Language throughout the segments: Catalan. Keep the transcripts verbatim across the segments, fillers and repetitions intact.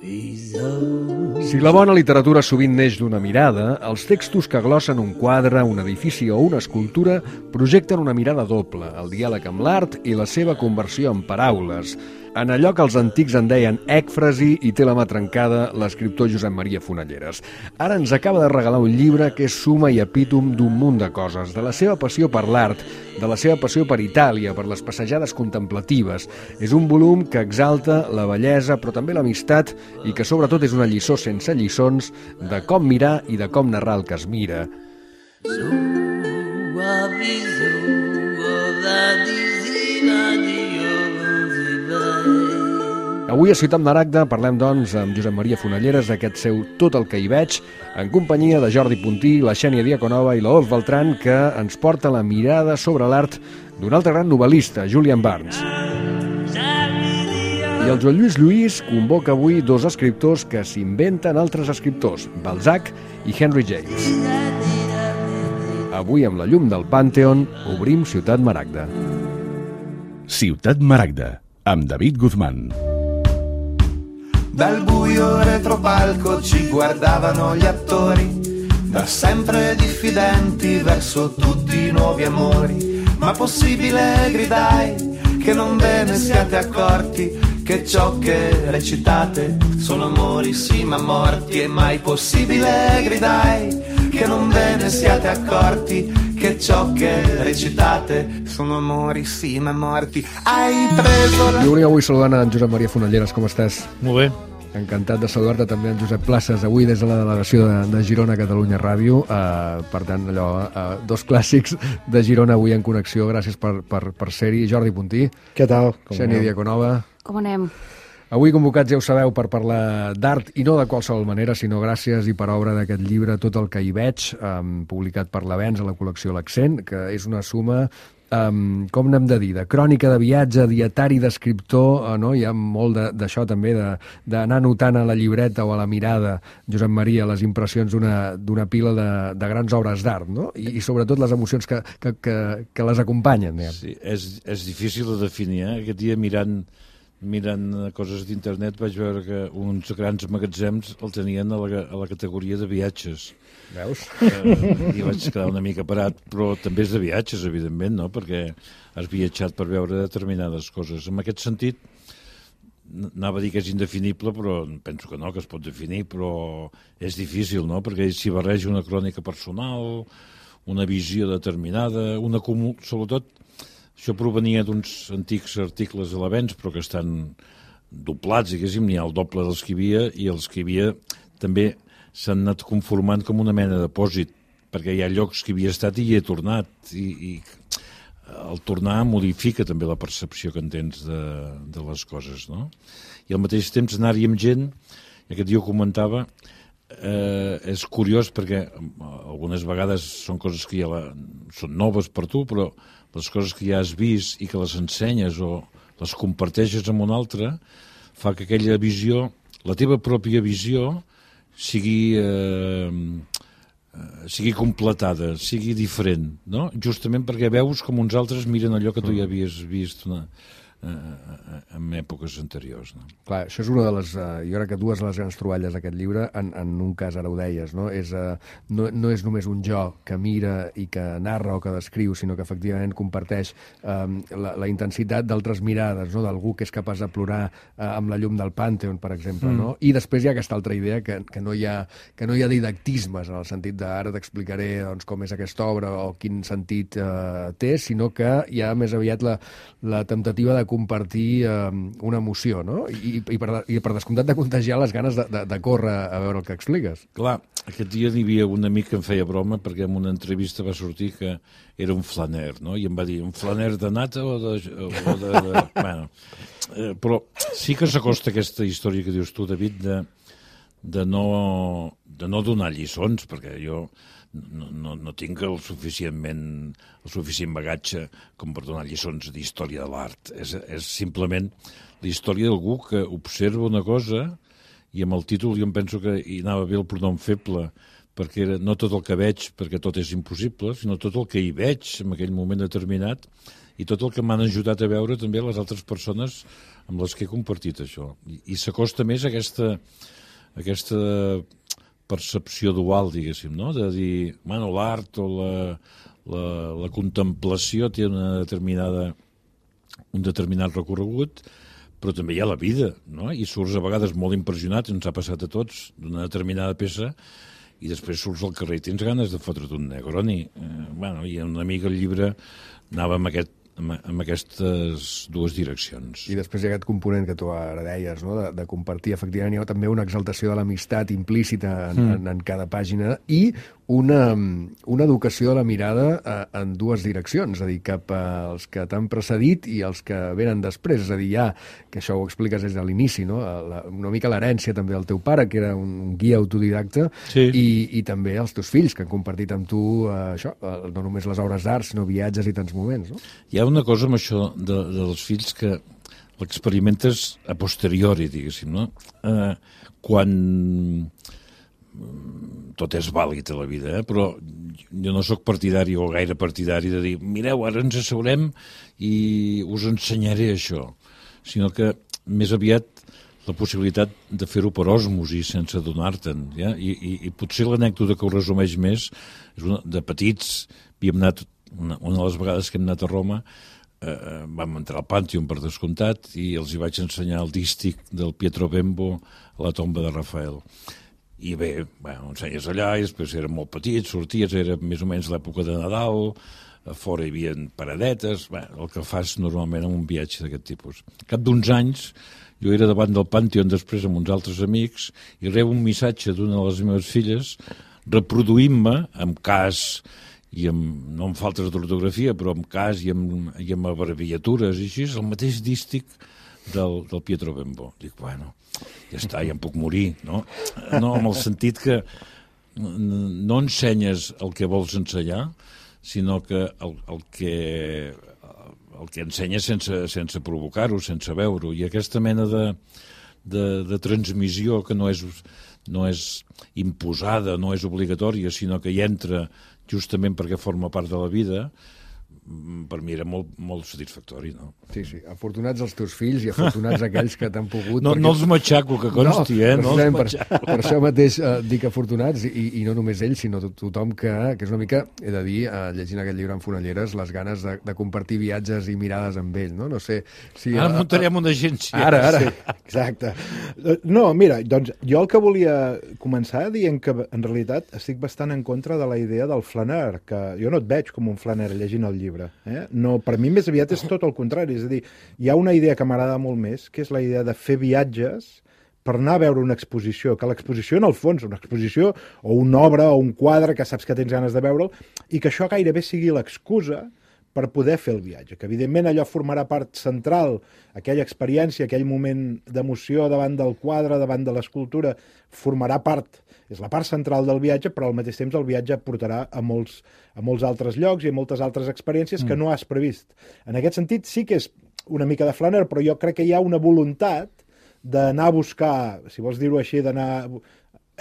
Si la bona literatura sovint neix d'una mirada, els textos que glossen un quadre, un edifici o una escultura projecten una mirada doble, el diàleg amb l'art i la seva conversió en paraules. En allò que els antics en deien ècfrasi i té la mà trencada l'escriptor Josep Maria Fonalleres. Ara ens acaba de regalar un llibre que és suma i epítom d'un munt de coses, de la seva passió per l'art, de la seva passió per Itàlia, per les passejades contemplatives. És un volum que exalta la bellesa, però també l'amistat, i que sobretot és una lliçó sense lliçons de com mirar i de com narrar el que es mira. Avui a Ciutat Maragda parlem, doncs, amb Josep Maria Fonalleres d'aquest seu Tot el que hi veig, en companyia de Jordi Puntí, la Xènia Diaconova i l'Olf Beltran, que ens porta la mirada sobre l'art d'un altre gran novel·lista, Julian Barnes. I el Joan Lluís Lluís convoca avui dos escriptors que s'inventen altres escriptors, Balzac i Henry James. Avui, amb la llum del Pànteon, obrim Ciutat Maragda. Ciutat Maragda, amb David Guzmán. Dal buio retropalco ci guardavano gli attori, da sempre diffidenti verso tutti i nuovi amori. Ma possibile, gridai, che non ve ne siate accorti, che ciò che recitate sono amori sì ma morti. E mai possibile, gridai, che non ve ne siate accorti, che ciò che recitate sono amori sì ma morti. Hai preso la... Jo volia avui saludant en Josep Maria Fonalleres, com estàs? Molt bé. Encantat de saludar-te també en Josep Places, avui des de la delegació de, de Girona, Catalunya Ràdio. Uh, per tant, allò, uh, dos clàssics de Girona avui en connexió. Gràcies per, per, per ser-hi. Jordi Puntí. Què tal? Xènia Diaconova. Com anem? Avui convocats, ja ho sabeu, per parlar d'art, i no de qualsevol manera, sinó gràcies i per obra d'aquest llibre Tot el que hi veig, um, publicat per l'Avenç a la col·lecció L'Accent, que és una suma... Um, com n'hem de dir, de crònica de viatge, dietari d'escriptor, uh, no? Hi ha molt d'això també, d'anar notant a la llibreta o a la mirada, Josep Maria, les impressions d'una pila de, de grans obres d'art, no? I, i sobretot les emocions que, que, que, que les acompanyen. Sí, és, és difícil de definir, eh? Aquest dia mirant, mirant coses d'internet vaig veure que uns grans magatzems el tenien a la, a la categoria de viatges. Veus? Eh, I vaig quedar una mica parat, però també és de viatges, evidentment, no? Perquè has viatjat per veure determinades coses. En aquest sentit, anava a dir que és indefinible, però penso que no, que es pot definir, però és difícil, no? Perquè s'hi barreja una crònica personal, una visió determinada, una comú... Sobretot, això provenia d'uns antics articles a l'Avenç, però que estan doblats, diguéssim, n'hi ha el doble dels que hi havia, i els que hi havia també s'han anat conformant com una mena de depòsit, perquè hi ha llocs que hi havia estat i hi he tornat, i, i el tornar modifica també la percepció que en tens de, de les coses, no? I al mateix temps anar-hi amb gent, aquest dia ho comentava, eh, és curiós perquè algunes vegades són coses que ja la, són noves per tu, però les coses que ja has vist i que les ensenyes o les comparteixes amb un altre, fa que aquella visió, la teva pròpia visió, sigui, eh, sigui completada, sigui diferent, no? Justament perquè veus com uns altres miren allò que tu ja havies vist una, eh, en èpoques anteriors. No? Clar, això és una de les... Uh, jo crec que dues de les grans troballes d'aquest llibre, en, en un cas ara ho deies, no? És, uh, no, no és només un jo que mira i que narra o que descriu, sinó que efectivament comparteix um, la, la intensitat d'altres mirades, no? D'algú que és capaç de plorar uh, amb la llum del Pànteon, per exemple, mm. no? I després hi ha aquesta altra idea que, que, no, hi ha, que no hi ha didactismes, en el sentit de ara t'explicaré doncs, com és aquesta obra o quin sentit uh, té, sinó que hi ha més aviat la, la temptativa de compartir eh, una emoció, no? I, i, per, i per descomptat de contagiar les ganes de, de, de córrer a veure el que expliques. Clar, aquest dia n'hi havia un amic que em feia broma perquè en una entrevista va sortir que era un flaner, no? I em va dir, un flaner de nata o de... O de, de... bueno, eh, però sí que s'acosta aquesta història que dius tu, David, de, de, no, de no donar lliçons, perquè jo... No, no, no tinc el suficientment el suficient bagatge com per donar lliçons d'història de l'art. És, és simplement la història d'algú que observa una cosa i amb el títol jo em penso que hi anava bé el pronom feble, perquè era no tot el que veig, perquè tot és impossible, sinó tot el que hi veig en aquell moment determinat i tot el que m'han ajudat a veure també les altres persones amb les que he compartit això. I, i s'acosta més a aquesta, a aquesta percepció dual, diguéssim, no? De dir, bueno, l'art o la, la, la contemplació té una determinada, un determinat recorregut, però també hi ha la vida, no? I surts a vegades molt impressionat, ens ha passat a tots, d'una determinada peça, i després surts al carrer i tens ganes de fotre't un Negroni. Eh, bueno, i una mica el llibre anava amb, aquest, amb, amb aquestes dues direccions. I després hi ha aquest component que tu ara deies, no? de, de compartir. Efectivament, hi ha també una exaltació de l'amistat implícita en, mm. en, en cada pàgina i una, una educació de la mirada eh, en dues direccions, és a dir, cap als que t'han precedit i els que venen després. És a dir, ja, que això ho expliques des de l'inici, no? La, una mica l'herència també del teu pare, que era un guia autodidacta, sí. i, i també els teus fills, que han compartit amb tu eh, això, eh, no només les obres d'art, sinó viatges i tants moments. No? Hi ha una cosa amb això de, dels fills que l'experimentes a posteriori, diguéssim, no? Eh, quan... tot és vàlid a la vida, eh? Però jo no sóc partidari o gaire partidari de dir, mireu, ara ens asseurem i us ensenyaré això, sinó que més aviat la possibilitat de fer-ho per osmosi sense adonar-te'n, ja? I, i, i potser l'anècdota que ho resumeix més és una, de petits, havíem anat, una, una de les vegades que hem anat a Roma, eh, vam entrar al Pàntheon per descomptat i els hi vaig ensenyar el dístic del Pietro Bembo a la tomba de Rafael. I bé, bueno, ensenyes allà, i després érem molt petits, sorties, era més o menys l'època de Nadal, a fora hi havia paradetes, bé, el que fas normalment en un viatge d'aquest tipus. Al cap d'uns anys, jo era davant del Pàntheon després amb uns altres amics i rebo un missatge d'una de les meves filles reproduint-me amb cas i amb, no amb faltes d'ortografia, però amb cas i amb, i amb abreviatures i així, el mateix dístic del, del Pietro Bembo. Dic, bueno, ja està, ja em puc morir, no? No, amb el sentit que no ensenyes el que vols ensenyar, sinó que el, el que el que ensenyes sense, sense provocar-ho, sense veure-ho, i aquesta mena de, de, de transmissió que no és, no és imposada, no és obligatòria, sinó que hi entra justament perquè forma part de la vida, per mi era molt, molt satisfactori, no? Sí, sí. Afortunats els teus fills i afortunats aquells que t'han pogut... No, perquè... no els matxaco, que consti, no, eh? No els matxaco. Per, per això mateix eh, dic afortunats, i, i no només ells, sinó tot, tothom que, que és una mica, he de dir, eh, llegint aquest llibre en Fonelleres, les ganes de, de compartir viatges i mirades amb ell, no? No sé si... Ara eh, muntarem una agència. Ara, ara. Sí, exacte. No, mira, doncs jo el que volia començar dient que en realitat estic bastant en contra de la idea del flaner, que jo no et veig com un flaner llegint el llibre. Eh? No, per mi més aviat és tot el contrari, és a dir, hi ha una idea que m'agrada molt més, que és la idea de fer viatges per anar a veure una exposició, que l'exposició en el fons, una exposició o una obra o un quadre que saps que tens ganes de veure'l, i que això gairebé sigui l'excusa per poder fer el viatge, que evidentment allò formarà part central, aquella experiència, aquell moment d'emoció davant del quadre, davant de l'escultura, formarà part, és la part central del viatge, però al mateix temps el viatge portarà a molts, a molts altres llocs i a moltes altres experiències que mm. no has previst. En aquest sentit sí que és una mica de flaner, però jo crec que hi ha una voluntat d'anar a buscar, si vols dir-ho així, d'anar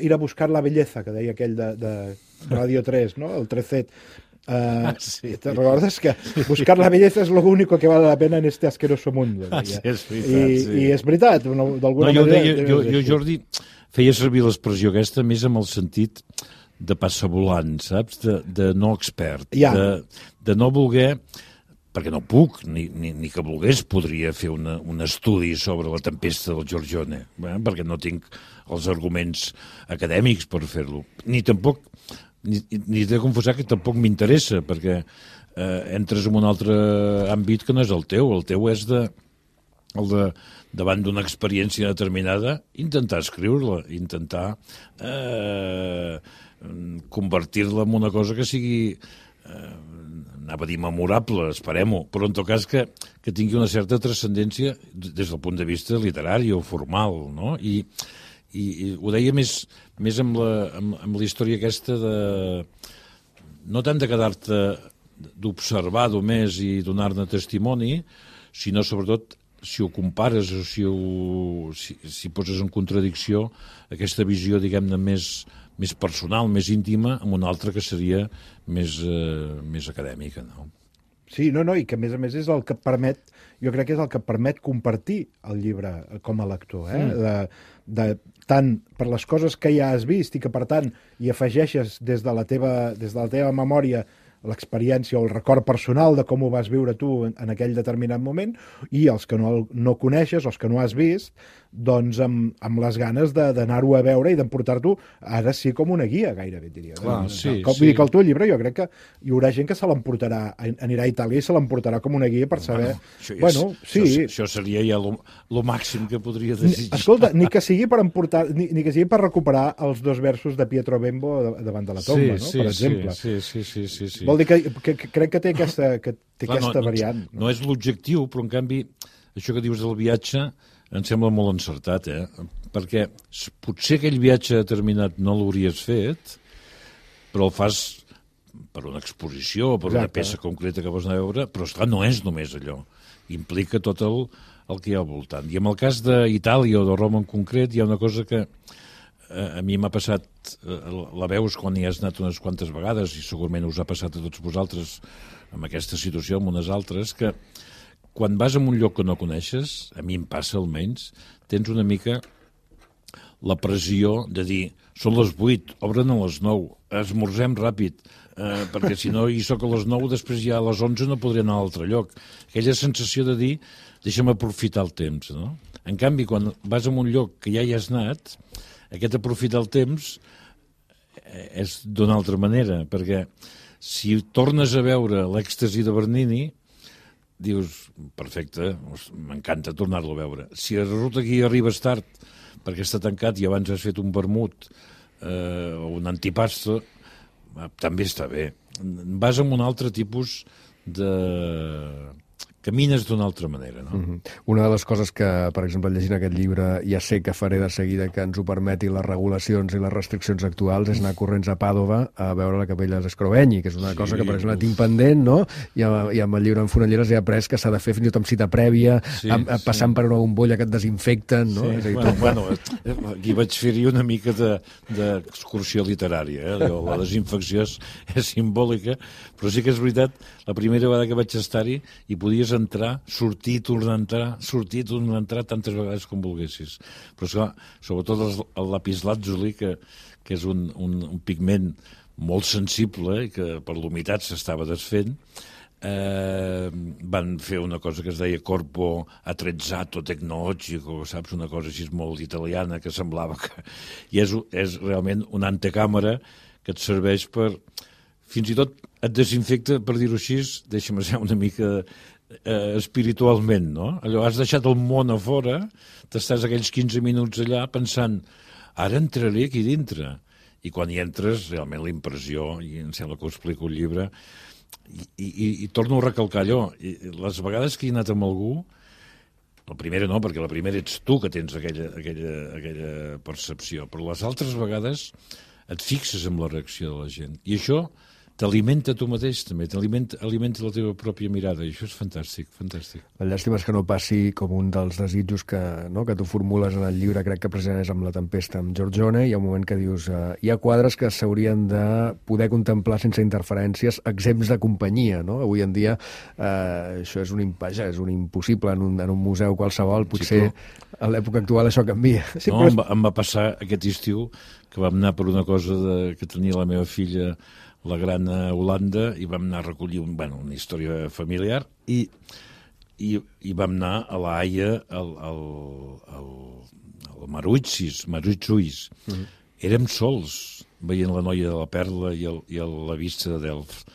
ir a buscar la belleza, que deia aquell de, de Radio tres, no? El Trecet. Uh, sí. ¿Te recordas que buscar la belleza es lo único que vale la pena en este asqueroso mundo? Ah, sí, és veritat, I, sí. I és veritat, d'alguna no, jo manera... Deia, jo, jo, Jordi, feia servir l'expressió aquesta més amb el sentit de passavolant, saps? De, de no expert, ja. de, de no voler, perquè no puc, ni, ni, ni que volgués podria fer una, un estudi sobre la tempesta del Giorgione, eh? Perquè no tinc els arguments acadèmics per fer-lo, ni tampoc... Ni, ni he de confessar que tampoc m'interessa, perquè eh, entres en un altre àmbit que no és el teu. El teu és de, el de, davant d'una experiència determinada, intentar escriure-la, intentar eh, convertir-la en una cosa que sigui, eh, anava a dir memorable, esperem-ho, però en tot cas que, que tingui una certa transcendència des del punt de vista literari o formal, no? I I, i ho deia més, més amb, la, amb, amb la història aquesta de... no tant de quedar-te d'observar només i donar-ne testimoni, sinó sobretot si ho compares o si, ho, si, si poses en contradicció aquesta visió, diguem-ne, més, més personal, més íntima, amb una altra que seria més, eh, més acadèmica, no? Sí, no, no, i que a més a més és el que et permet, jo crec que és el que et permet compartir el llibre com a lector, eh? Mm. De, de, tant per les coses que ja has vist i que, per tant, hi afegeixes des de la teva, des de la teva memòria l'experiència o el record personal de com ho vas viure tu en, en aquell determinat moment, i els que no, no coneixes, els que no has vist, doncs amb, amb les ganes d'anar-ho a veure i d'emportar-t'ho, ara sí, com una guia, gairebé, diria. Clar, sí, com, sí. Vull dir que el teu llibre jo crec que hi haurà gent que se l'emportarà, anirà a Itàlia i se l'emportarà com una guia per saber... Bueno, això, és, bueno sí. això, això seria ja lo, lo màxim que podria desitjar. Escolta, ni que sigui per emportar, ni, ni que sigui per recuperar els dos versos de Pietro Bembo davant de la tomba, sí, no? Sí, per exemple. Sí, sí, sí, sí, sí. Vol dir que, que, que crec que té aquesta, que té Clar, aquesta no, variant. No, no és l'objectiu, però en canvi, això que dius del viatge em sembla molt encertat, eh? Perquè potser aquell viatge determinat no l'hauries fet, però el fas per una exposició, per Exacte. Una peça concreta que vols anar a veure, però esclar, no és només allò. Implica tot el, el que hi ha al voltant. I en el cas d'Itàlia o de Roma en concret hi ha una cosa que eh, a mi m'ha passat, eh, la veus quan hi has anat unes quantes vegades, i segurament us ha passat a tots vosaltres amb aquesta situació, amb unes altres, que quan vas a un lloc que no coneixes, a mi em passa almenys, tens una mica la pressió de dir són les vuit, obren a les nou, esmorzem ràpid, eh, perquè si no hi soc a les nou, després ja a les onze no podré anar a l'altre lloc. Aquella sensació de dir deixa'm aprofitar el temps, no? En canvi, quan vas a un lloc que ja hi has anat, aquest aprofitar el temps és d'una altra manera, perquè si tornes a veure l'èxtasi de Bernini, dius, perfecte, m'encanta tornar-lo a veure. Si resulta que hi arribes tard perquè està tancat i abans has fet un vermut eh, o un antipasto, també està bé. Vas amb un altre tipus de... camines d'una altra manera, no? Mm-hmm. Una de les coses que, per exemple, llegint aquest llibre, ja sé que faré de seguida que ens ho permeti les regulacions i les restriccions actuals, és anar corrents a Pàdova a veure la capella d'Escrovegni, que és una sí, cosa que, per exemple, tinc pendent, no? I amb, i amb el llibre en Fonelleres he après que s'ha de fer fins i tot amb cita prèvia, sí, amb, sí. passant per una bombolla que et desinfecten, no? Sí. És a dir, bueno, bueno, aquí vaig fer-hi una mica d'excursió de, literària, eh? La desinfecció és, és simbòlica, però sí que és veritat, la primera vegada que vaig estar-hi hi podies entrar, sortir, tornar a entrar, sortir, tornar a entrar tantes vegades com volguessis. Però, esclar, sobretot el, el lapislàtzuli, que, que és un, un, un pigment molt sensible i que per l'humitat s'estava desfent, eh, van fer una cosa que es deia corpo attrezzato tecnologico, saps? Una cosa així molt italiana que semblava que... I és, és realment una antecàmera que et serveix per... Fins i tot et desinfecta, per dir-ho així, deixa'm ser una mica eh, espiritualment, no? Allò, has deixat el món a fora, t'estàs aquells quinze minuts allà pensant, ara entraré aquí dintre. I quan hi entres, realment la impressió, i em sembla que ho explico al llibre, i, i, i torno a recalcar allò, I, les vegades que he anat amb algú, la primera no, perquè la primera ets tu que tens aquella, aquella, aquella percepció, però les altres vegades et fixes en la reacció de la gent. I això t'alimenta tu mateix, també, t'alimenta alimenta la teva pròpia mirada, i això és fantàstic, fantàstic. La llàstima és que no passi com un dels desitjos que, no, que tu formules en el llibre, crec que precisament és amb La tempesta, amb Giorgione, hi ha un moment que dius eh, hi ha quadres que s'haurien de poder contemplar sense interferències, exempts de companyia, no? Avui en dia eh, això és un, vaja, és un impossible en un, en un museu qualsevol, potser sí, però... a l'època actual això canvia. Sí, no, però... em, va, em va passar aquest estiu que vam anar per una cosa de, que tenia la meva filla la gran a Holanda, i vam anar a recollir un, bueno, una història familiar, i, i, i vam anar a la Haia, al, al, al, al Maruitsis, Maruitsuis. Mm-hmm. Érem sols, veient la noia de la Perla i, el, i el, la vista de Delft.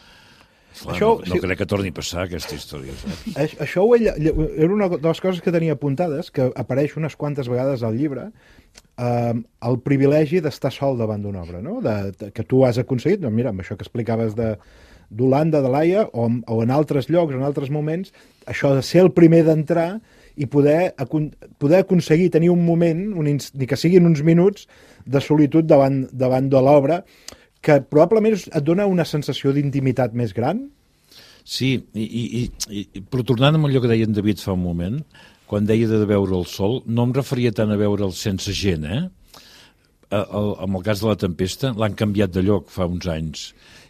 Clar, això, no, no sí, crec que torni a passar aquesta història. Saps? Això ho, era una de les coses que tenia apuntades, que apareix unes quantes vegades al llibre, eh, el privilegi d'estar sol davant d'una obra, no? de, de, que tu has aconseguit, doncs mira, amb això que explicaves de d'Holanda, de l'Haia, o, o en altres llocs, en altres moments, això de ser el primer d'entrar i poder, poder aconseguir tenir un moment, un, ni que siguin uns minuts, de solitud davant, davant de l'obra, que probablement et dona una sensació d'intimitat més gran? Sí, i, i, i, però tornant amb allò que deia en David fa un moment, quan deia de veure el sol, no em referia tant a veure'l sense gent, eh? El, el, en el cas de La tempesta, l'han canviat de lloc fa uns anys,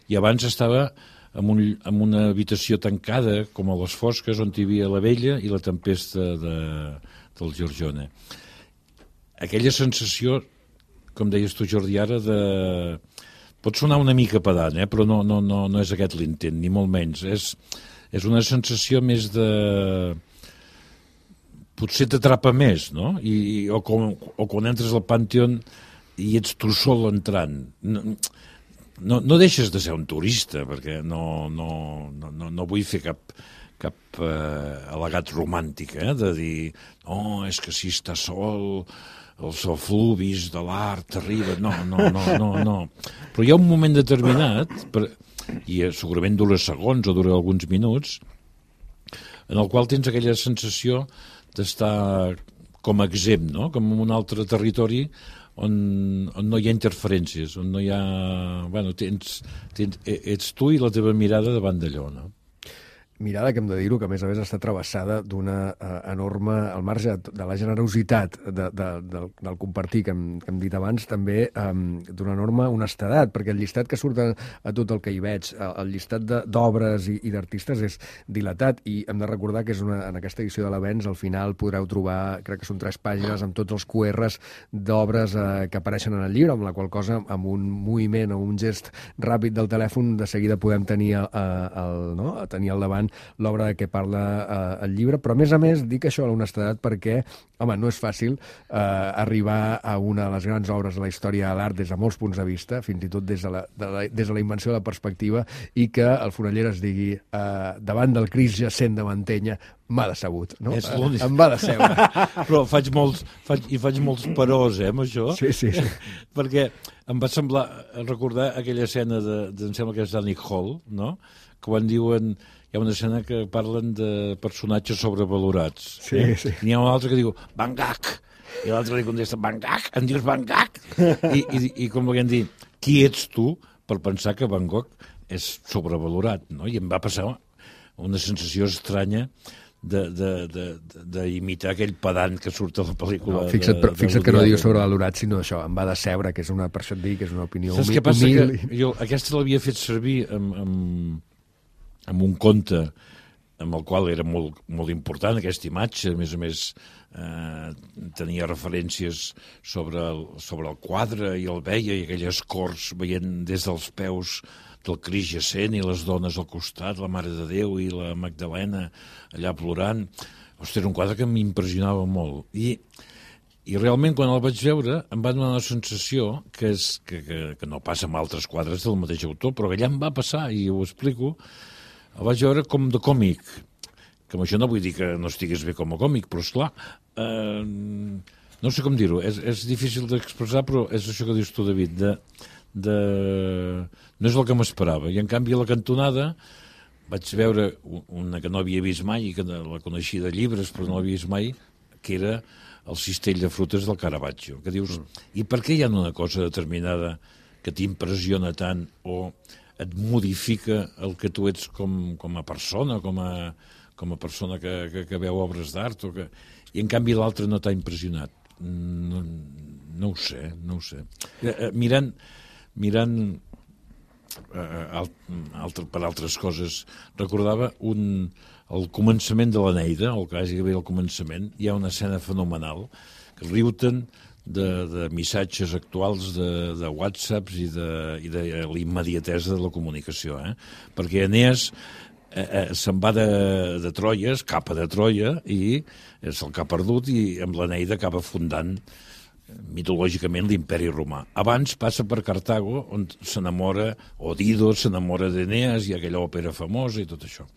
i abans estava en, un, en una habitació tancada, com a les Fosques, on hi havia la vella i la tempesta de, del Giorgione. Aquella sensació, com deies tu, Jordi, ara, de... pot sonar una mica pedant, eh? Però no, no, no, no és aquest l'intent, ni molt menys. És, és una sensació més de... potser t'atrapa més, no? I, o, com, o quan entres al Pantheon i ets tu sol entrant. No, no, no deixes de ser un turista, perquè no, no, no, no, no vull fer cap, cap eh, al·legat romàntic, eh? De dir, no, és que si està sol, els efluvis de l'art arriben... No, no, no, no, no. Però hi ha un moment determinat, per, i segurament dura segons o dura alguns minuts, en el qual tens aquella sensació d'estar com exempt, no? Com en un altre territori on, on no hi ha interferències, on no hi ha... Bueno, tens, tens, ets tu i la teva mirada davant d'allò, no? Mirada que hem de dir-ho, que a més a més està travessada d'una uh, enorme, al marge de la generositat de, de, del, del compartir que hem, que hem dit abans, també um, d'una enorme honestedat, perquè el llistat que surt a, a tot el que hi veig, el llistat d'obres i, i d'artistes és dilatat, i hem de recordar que és una, en aquesta edició de l'Avenç al final podreu trobar, crec que són tres pàgines amb tots els Q Rs d'obres uh, que apareixen en el llibre, amb la qual cosa, amb un moviment o un gest ràpid del telèfon, de seguida podem tenir, el, el, no? tenir al davant l'obra de què parla eh, el llibre, però a més a més dic això a l'honestedat perquè, home, no és fàcil eh, arribar a una de les grans obres de la història de l'art des de molts punts de vista, fins i tot des de la, de la, des de la invenció de la perspectiva, i que el Fonelleres digui eh, davant del Crist jacent de Mantenya m'ha decebut, no? És l'únic. Em va decebre. Però faig molts, faig, i faig molts perós, eh, amb això. Sí, sí, sí. Perquè em va semblar recordar aquella escena de, de em sembla que és d'Annick Hall, no? Quan diuen... Hi ha una escena que parlen de personatges sobrevalorats. Sí, eh? sí. N'hi ha un altre que diu Van Gogh, i l'altre li contesta Van Gogh, em dius Van Gogh? I, i, i com volien dir, qui ets tu per pensar que Van Gogh és sobrevalorat, no? I em va passar una sensació estranya d'imitar aquell pedant que surt a la pel·lícula. No, fixa't, de, però, fixa't de que no diu sobrevalorat, sinó això, em va decebre, que és una, per això et dic, que és una opinió humil. Saps què passa? Que jo aquesta l'havia fet servir amb, amb, amb un conte amb el qual era molt, molt important aquesta imatge, a més a més eh, tenia referències sobre el, sobre el quadre i el veia, i aquelles corts veient des dels peus del Crist jacent i les dones al costat, la Mare de Déu i la Magdalena allà plorant. Ostres, era un quadre que m'impressionava molt. I, i realment, quan el vaig veure, em va donar una sensació que, és, que, que, que no passa amb altres quadres del mateix autor, però que allà em va passar, i ho explico. El vaig veure com de còmic, que amb això no vull dir que no estigués bé com a còmic, però esclar, eh, no sé com dir-ho, és, és difícil d'expressar, però és això que dius tu, David, de, de... no és el que m'esperava. I en canvi a la cantonada vaig veure una que no havia vist mai, i que la coneixia de llibres, però no l'havia vist mai, que era el cistell de frutes del Caravaggio, que dius, i per què hi ha una cosa determinada que t'impressiona tant, o et modifica el que tu ets com, com a persona, com a, com a persona que, que, que veu obres d'art, o que... i en canvi l'altre no t'ha impressionat. No, no ho sé, no ho sé. Eh, mirant, mirant eh, alt, altre, per altres coses, recordava un, el començament de l'Eneida, el que hagi d'haver al començament, hi ha una escena fenomenal, que riu-te'n de, de missatges actuals de, de whatsapps i de, i de l'immediatesa de la comunicació, eh? Perquè Enees eh, eh, se'n va de, de Troia, escapa de Troia, i se'l que ha perdut, i amb l'Eneida acaba fundant mitològicament l'imperi romà. Abans passa per Cartago, on s'enamora, o Dido s'enamora d'Enees, i aquella òpera famosa i tot això.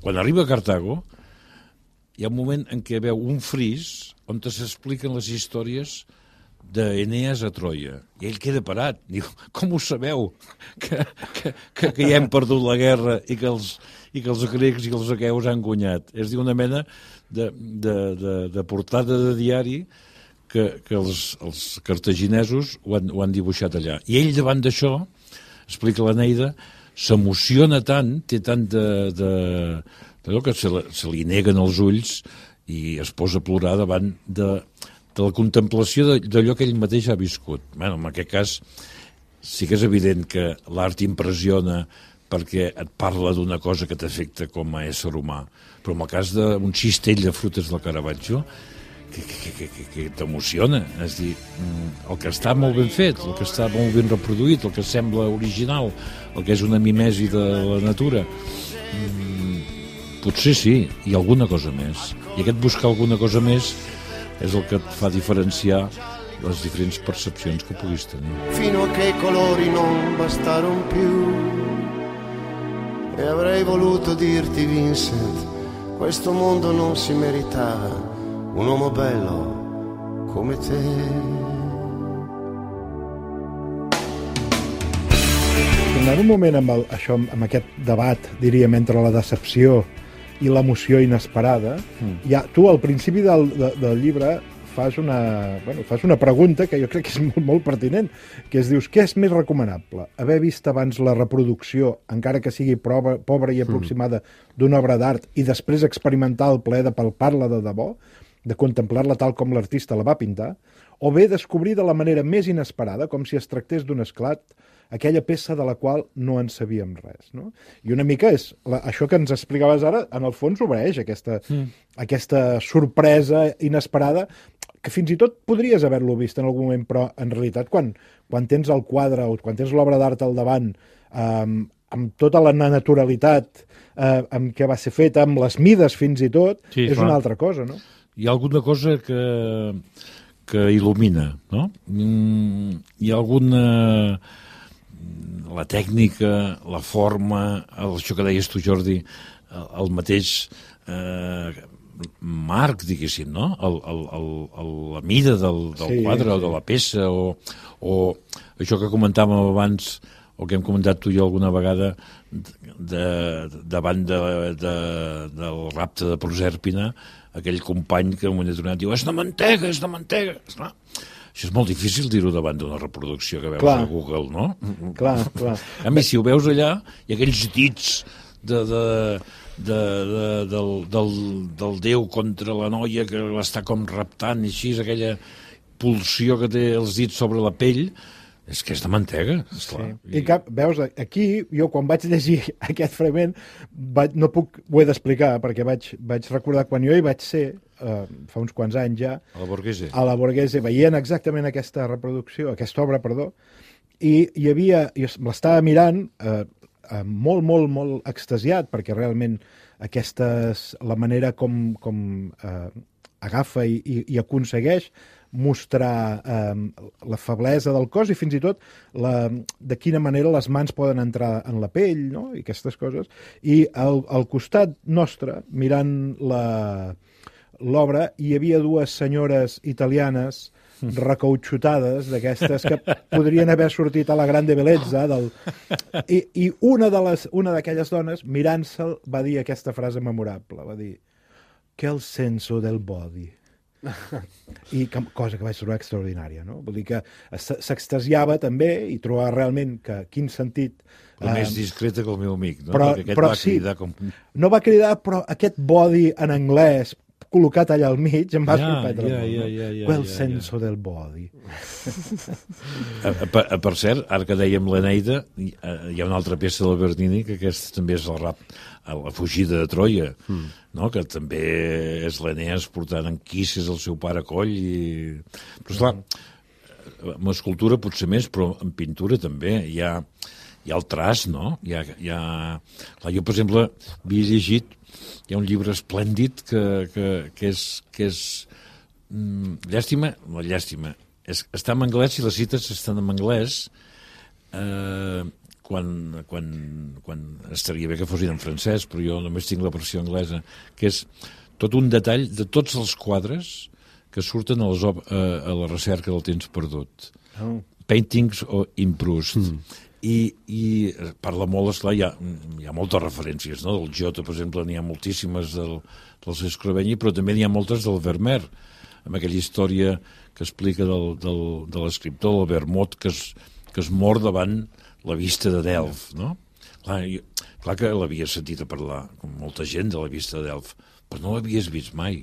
Quan arriba a Cartago, hi ha un moment en què veu un fris on s'expliquen les històries d'Enees a Troia. I ell queda parat. Diu, com ho sabeu? Que, que, que, que ja hem perdut la guerra i que els, i que els grecs i els aqueus han guanyat. És dir, una mena de, de, de, de portada de diari que, que els, els cartaginesos ho han, ho han dibuixat allà. I ell, davant d'això, explica l'Eneida, s'emociona tant, té tant de... de d'allò que se, se li neguen els ulls i es posa a plorar davant de, de la contemplació d'allò que ell mateix ha viscut. Bueno, en aquest cas sí que és evident que l'art impressiona perquè et parla d'una cosa que t'afecta com a ésser humà. Però en el cas d'un cistell de frutes del Caravaggio, que, que, que, que, que t'emociona. És a dir, el que està molt ben fet, el que està molt ben reproduït, el que sembla original, el que és una mimesi de la natura, potser sí, i alguna cosa més. I aquest buscar alguna cosa més és el que et fa diferenciar les diferents percepcions che puguis tenir. Fino a che i colori non bastarono più e avrei voluto dirti, Vincent, questo mondo non si meritava un uomo bello come te. Tornant un moment amb, el, això, amb aquest debat, diríem, entre la decepció i l'emoció inesperada, mm. ja, tu al principi del, de, del llibre fas una, bueno, fas una pregunta que jo crec que és molt, molt pertinent, que es dius, què és més recomanable? Haver vist abans la reproducció, encara que sigui prova, pobra i aproximada, mm. d'una obra d'art, i després experimentar el plaer de palpar-la de debò, de contemplar-la tal com l'artista la va pintar, o bé descobrir de la manera més inesperada, com si es tractés d'un esclat, aquella peça de la qual no en sabíem res, no? I una mica és, la, això que ens explicaves ara, en el fons obeeix aquesta, mm. aquesta sorpresa inesperada, que fins i tot podries haver-lo vist en algun moment, però en realitat quan, quan tens el quadre o quan tens l'obra d'art al davant, eh, amb tota la naturalitat eh, amb què va ser feta, amb les mides fins i tot, sí, és clar. Una altra cosa, no? Hi ha alguna cosa que, que il·lumina, no? Mm, hi ha alguna... la tècnica, la forma, el, això que deies tu, Jordi, el, el mateix eh, marc, diguéssim, no? El, el, el, el, la mida del, del sí, quadre sí. o de la peça, o, o això que comentàvem abans, o que hem comentat tu i jo alguna vegada, de, davant de, de, del rapte de Prosèrpina, aquell company que en un moment determinat diu, és de mantega, és de mantega. Esclar, això és molt difícil dir-ho davant d'una reproducció que veus clar. A Google, no? Clar, clar. A mi, si ho veus allà, hi ha aquells dits de, de, de, de, del, del, del déu contra la noia que l'està com raptant, i així, aquella pulsió que té els dits sobre la pell, és que és de mantega, esclar. Sí. I cap, veus, aquí, jo quan vaig llegir aquest fragment, vaig, no puc, ho he d'explicar, perquè vaig, vaig recordar quan jo hi vaig ser, uh, fa uns quants anys ja, a la Borghese, a la Borghese, veient exactament aquesta reproducció, aquesta obra, perdó, i hi havia, jo l'estava mirant uh, uh, molt, molt, molt extasiat, perquè realment aquesta és la manera com, com uh, agafa i, i, i aconsegueix mostrar eh, la feblesa del cos i fins i tot la, de quina manera les mans poden entrar en la pell, no? I aquestes coses. I al, al costat nostre, mirant la, l'obra, hi havia dues senyores italianes recautxutades, d'aquestes que podrien haver sortit a la Grande Bellezza, del... I, i una de les, una d'aquelles dones, mirant-se'l, va dir aquesta frase memorable, va dir, que el senso del body. I que, cosa que vaig trobar extraordinària, no? Vull dir que s'extasiava també i trobava realment que quin sentit... Però eh, més discreta que el meu amic, no? Però, Perquè aquest però va sí, cridar com... No va cridar, però aquest body en anglès col·locat allà al mig em va ja, sorprendre ja, molt. Ja, ja, ja, Quel ja, senso ja. del body. a, a, a, per cert, ara que dèiem l'Eneida, hi, hi ha una altra peça del Bernini que aquesta també és el rap, la fugida de Troia, mm. no? Que també és l'Eneas portant en quisses el seu pare coll. I... Però esclar, en escultura potser més, però en pintura també hi ha, hi ha el traç, no? Hi ha, hi ha... Clar, jo, per exemple, havia llegit, hi ha un llibre esplèndid que, que, que és, que és mm, llàstima, no, llàstima, és, està en anglès i les cites estan en anglès, eh, quan, quan, quan estaria bé que fossin en francès, però jo només tinc la versió anglesa, que és tot un detall de tots els quadres que surten a, les, a, a la recerca del temps perdut. Oh. Paintings o Imprust. Mm. I, i parla molt, esclar, hi ha, hi ha moltes referències, no? Del Giotto, per exemple, n'hi ha moltíssimes del, dels Escraveny, però també n'hi ha moltes del Vermeer, amb aquella història que explica del, del, de l'escriptor, el Vermont, que es, que es mor davant la vista de Delft, no? Clar, jo, clar que l'havia sentit a parlar, com molta gent, de la vista de Delft, però no l'havies vist mai.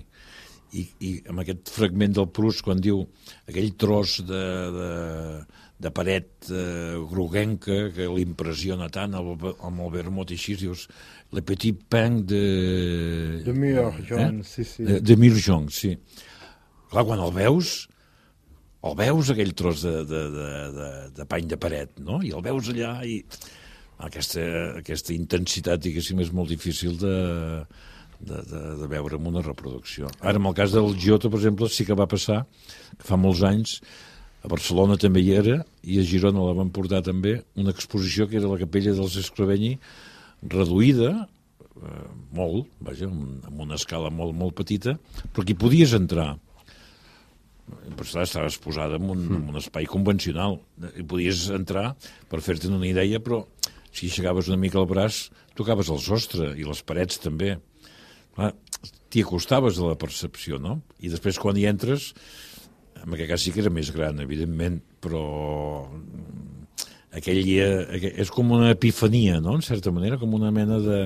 I, i amb aquest fragment del Proust, quan diu aquell tros de, de, de paret eh, groguenca que l'impressiona tant amb el, amb el vermut i així, dius, le petit pain de... De Murgeon, eh? sí, sí. De, de Murgeon, sí. Clar, quan el veus, el veus aquell tros de, de, de, de, de pany de paret, no? I el veus allà i aquesta, aquesta intensitat, diguéssim, és molt difícil de... De, de, de veure en una reproducció. Ara, en el cas del Giotto, per exemple, sí que va passar, que fa molts anys, a Barcelona també hi era, i a Girona la van portar també, una exposició que era la capella dels Escraveny, reduïda, eh, molt, vaja, amb una escala molt, molt petita, però que hi podies entrar. Per això estaves posada en un, en un espai convencional. Hi podies entrar per fer-te'n una idea, però si aixecaves una mica el braç, tocaves el sostre, i les parets també. T'hi acostaves a la percepció, no? I després quan hi entres, en aquest cas sí que era més gran, evidentment, però aquell dia és com una epifania, no?, en certa manera, com una mena de,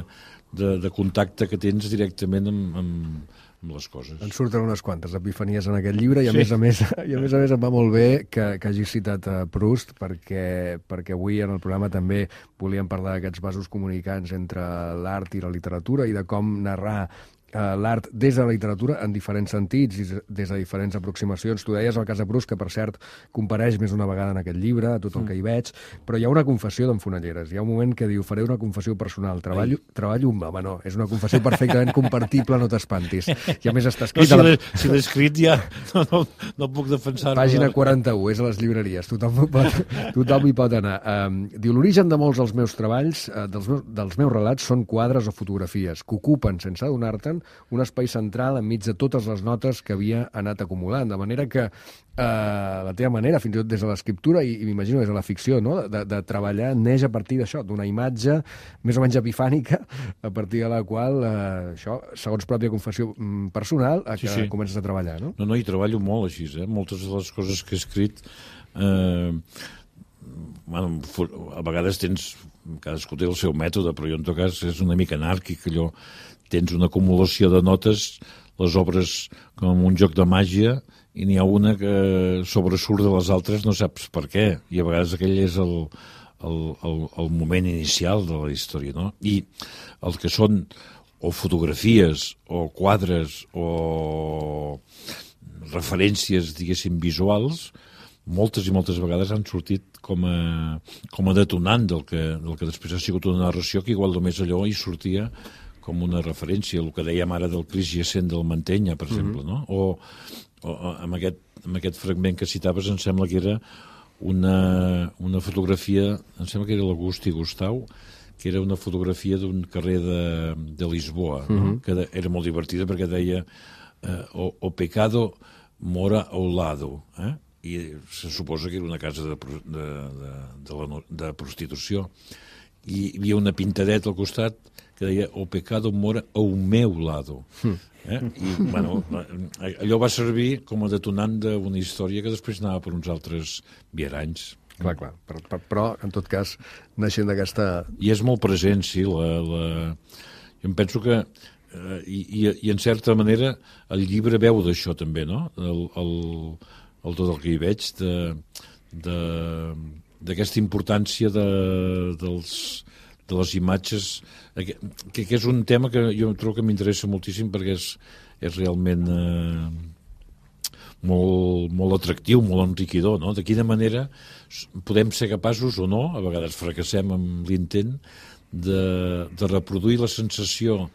de, de contacte que tens directament amb, amb, amb les coses. En surten unes quantes epifanies en aquest llibre i a, sí. més, a, més, i a més a més em va molt bé que, que hagis citat a Proust perquè, perquè avui en el programa també volíem parlar d'aquests vasos comunicants entre l'art i la literatura i de com narrar l'art des de la literatura en diferents sentits i des de diferents aproximacions. Tu deies el cas de Proust, que per cert compareix més una vegada en aquest llibre, tot el que hi veig, però hi ha una confessió d'en Fonelleres. Hi ha un moment que diu, faré una confessió personal, treballo, treballo amb... Home, no, és una confessió perfectament compartible, no t'espantis. I a més està escrit... No, si l'he escrit ja no, no, no puc defensar-lo. Pàgina quaranta-u, és a les llibreries, tothom, pot, tothom hi pot anar. Um, diu, l'origen de molts dels meus treballs, uh, dels, meus, dels meus relats, són quadres o fotografies que ocupen, sense adonar-te'n, un espai central enmig de totes les notes que havia anat acumulant, de manera que eh, la teva manera, fins i tot des de l'escriptura i, i m'imagino des de la ficció, no? de, de treballar neix a partir d'això, d'una imatge més o menys epifànica, a partir de la qual, eh, això, segons pròpia confessió personal, a que sí, sí. comences a treballar, no? No, no, hi treballo molt així, eh? Moltes de les coses que he escrit... Eh, bueno, a vegades tens... Cadascú té el seu mètode, però jo en tot cas és una mica anàrquic, allò... Tens una acumulació de notes, les obres com un joc de màgia, i n'hi ha una que sobresurt de les altres, no saps per què. I a vegades aquell és el, el, el, el moment inicial de la història, no? I el que són o fotografies, o quadres, o referències, diguéssim, visuals, moltes i moltes vegades han sortit com a, com a detonant del que, del que després ha sigut una narració, que igual només allò hi sortia com una referència, el que dèiem ara del Cris Jacent del Mantenya, per exemple, no? O, o amb, aquest, amb aquest fragment que citaves, em sembla que era una, una fotografia, em sembla que era l'Agusti Gustau, que era una fotografia d'un carrer de, de Lisboa, no? Uh-huh. Que de, era molt divertida perquè deia eh, o, o pecado mora ao lado, eh? I se suposa que era una casa de, de, de, de, la, de prostitució. I hi havia una pintadeta al costat que deia, o pecado mora ao meu lado. Eh? I, bueno, allò va servir com a detonant d'una història que després anava per uns altres viaranys. Clar, clar, però, però en tot cas, naixent d'aquesta... I és molt present, sí, la... la... Jo em penso que, eh, i, i, i en certa manera, el llibre veu d'això també, no? El, el, el tot el que hi veig, de, de, d'aquesta importància de, dels... de les imatges, que, que és un tema que jo trobo que m'interessa moltíssim perquè és, és realment eh, molt, molt atractiu, molt enriquidor, no? De quina manera podem ser capaços o no, a vegades fracassem amb l'intent, de, de reproduir la sensació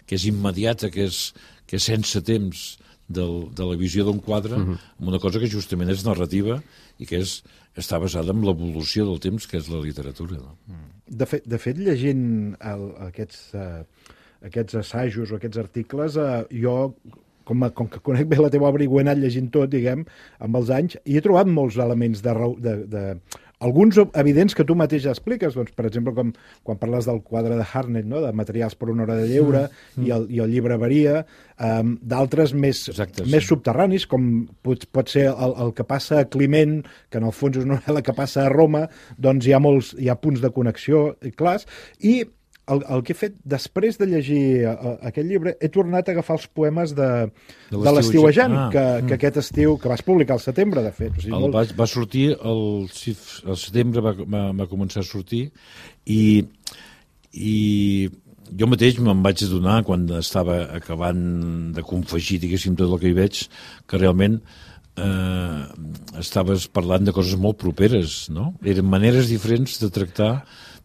que és immediata, que és, que és sense temps del, de la visió d'un quadre, uh-huh. amb una cosa que justament és narrativa i que és, està basada en l'evolució del temps, que és la literatura. No? De fet, de fet llegint el, aquests, uh, aquests assajos o aquests articles, uh, jo, com, a, com que conec bé la teva obra i ho he anat llegint tot, diguem, amb els anys, i he trobat molts elements de... de, de alguns evidents que tu mateix expliques, doncs, per exemple, com quan parles del quadre de Harnett, no? De materials per una hora de lleure, mm. i, el, i el llibre varia, um, d'altres més, Exacte, més sí. subterranis, com pot, pot ser el, el que passa a Climent, que en el fons és una novel·la que passa a Roma, doncs hi ha, molts, hi ha punts de connexió clars, i el, el que he fet, després de llegir uh, aquest llibre, he tornat a agafar els poemes de, de, de l'Estiuejant, ah, que, que aquest estiu, que vas publicar al setembre, de fet. O sigui, el, molt... va, va sortir, el, el setembre va, va, va començar a sortir, i, i jo mateix me'n vaig adonar, quan estava acabant de confegir, diguéssim, tot el que hi veig, que realment eh, estaves parlant de coses molt properes, no? Eren maneres diferents de tractar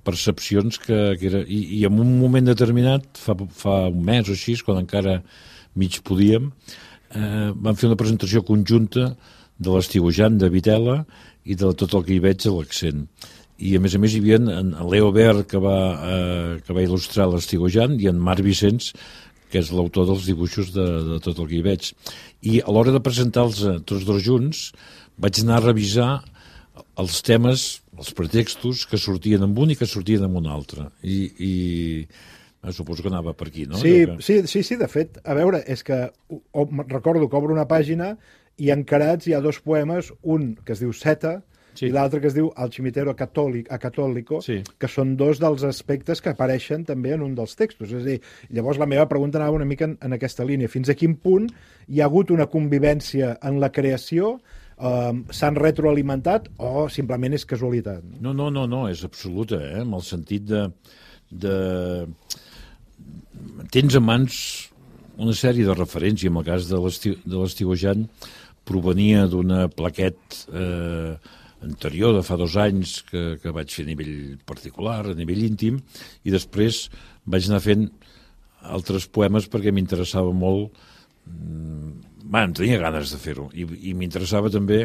percepcions que, que era... I, i en un moment determinat, fa, fa un mes o així, quan encara mig podíem, eh, vam fer una presentació conjunta de l'Estiuejant de Vitela i de tot el que hi veig a l'Accent. I a més a més hi havia en, en Leo Ver, que va, eh, que va il·lustrar l'Estiuejant, i en Marc Vicenç, que és l'autor dels dibuixos de, de tot el que hi veig. I a l'hora de presentar-los tots dos junts, vaig anar a revisar els temes, els pretextos que sortien amb un i que sortien amb un altre. I, i suposo que anava per aquí, no? Sí, que... sí, sí, sí, de fet, a veure, és que o, recordo que obro una pàgina i encarats hi ha dos poemes, un que es diu Seta, sí, i l'altre que es diu Al cimitero acatòlico, sí, que són dos dels aspectes que apareixen també en un dels textos. És a dir, llavors la meva pregunta anava una mica en, en aquesta línia. Fins a quin punt hi ha hagut una convivència en la creació, Um, s'han retroalimentat o simplement és casualitat? No, no, no, no, és absoluta, eh? En el sentit de, de... Tens a mans una sèrie de referències. En el cas de l'Estiuejant provenia d'una plaquet eh, anterior de fa dos anys que, que vaig fer a nivell particular, a nivell íntim, i després vaig anar fent altres poemes perquè m'interessava molt. Bueno, tenia ganes de fer-ho, i, i m'interessava també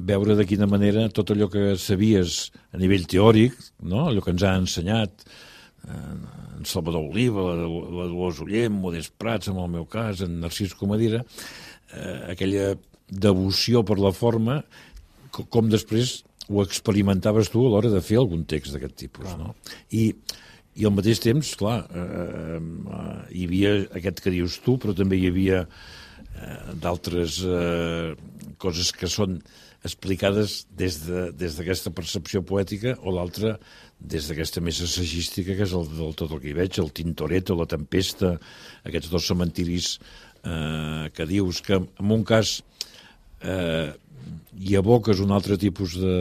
veure de quina manera tot allò que sabies a nivell teòric, no? Allò que ens ha ensenyat eh, en Salvador Oliva, la, la Dolors Ullem, Modest Prats, en el meu cas, en Narcís Comadira, eh, aquella devoció per la forma, com, com després ho experimentaves tu a l'hora de fer algun text d'aquest tipus, no? I, i al mateix temps, clar, eh, eh, hi havia aquest que dius tu, però també hi havia d'altres eh, coses que són explicades des d'aquesta de, percepció poètica, o l'altra des d'aquesta més assagística, que és el del tot el que hi veig, el Tintoretto, la Tempesta, aquests dos cementiris eh, que dius que en un cas eh, hi aboques un altre tipus de,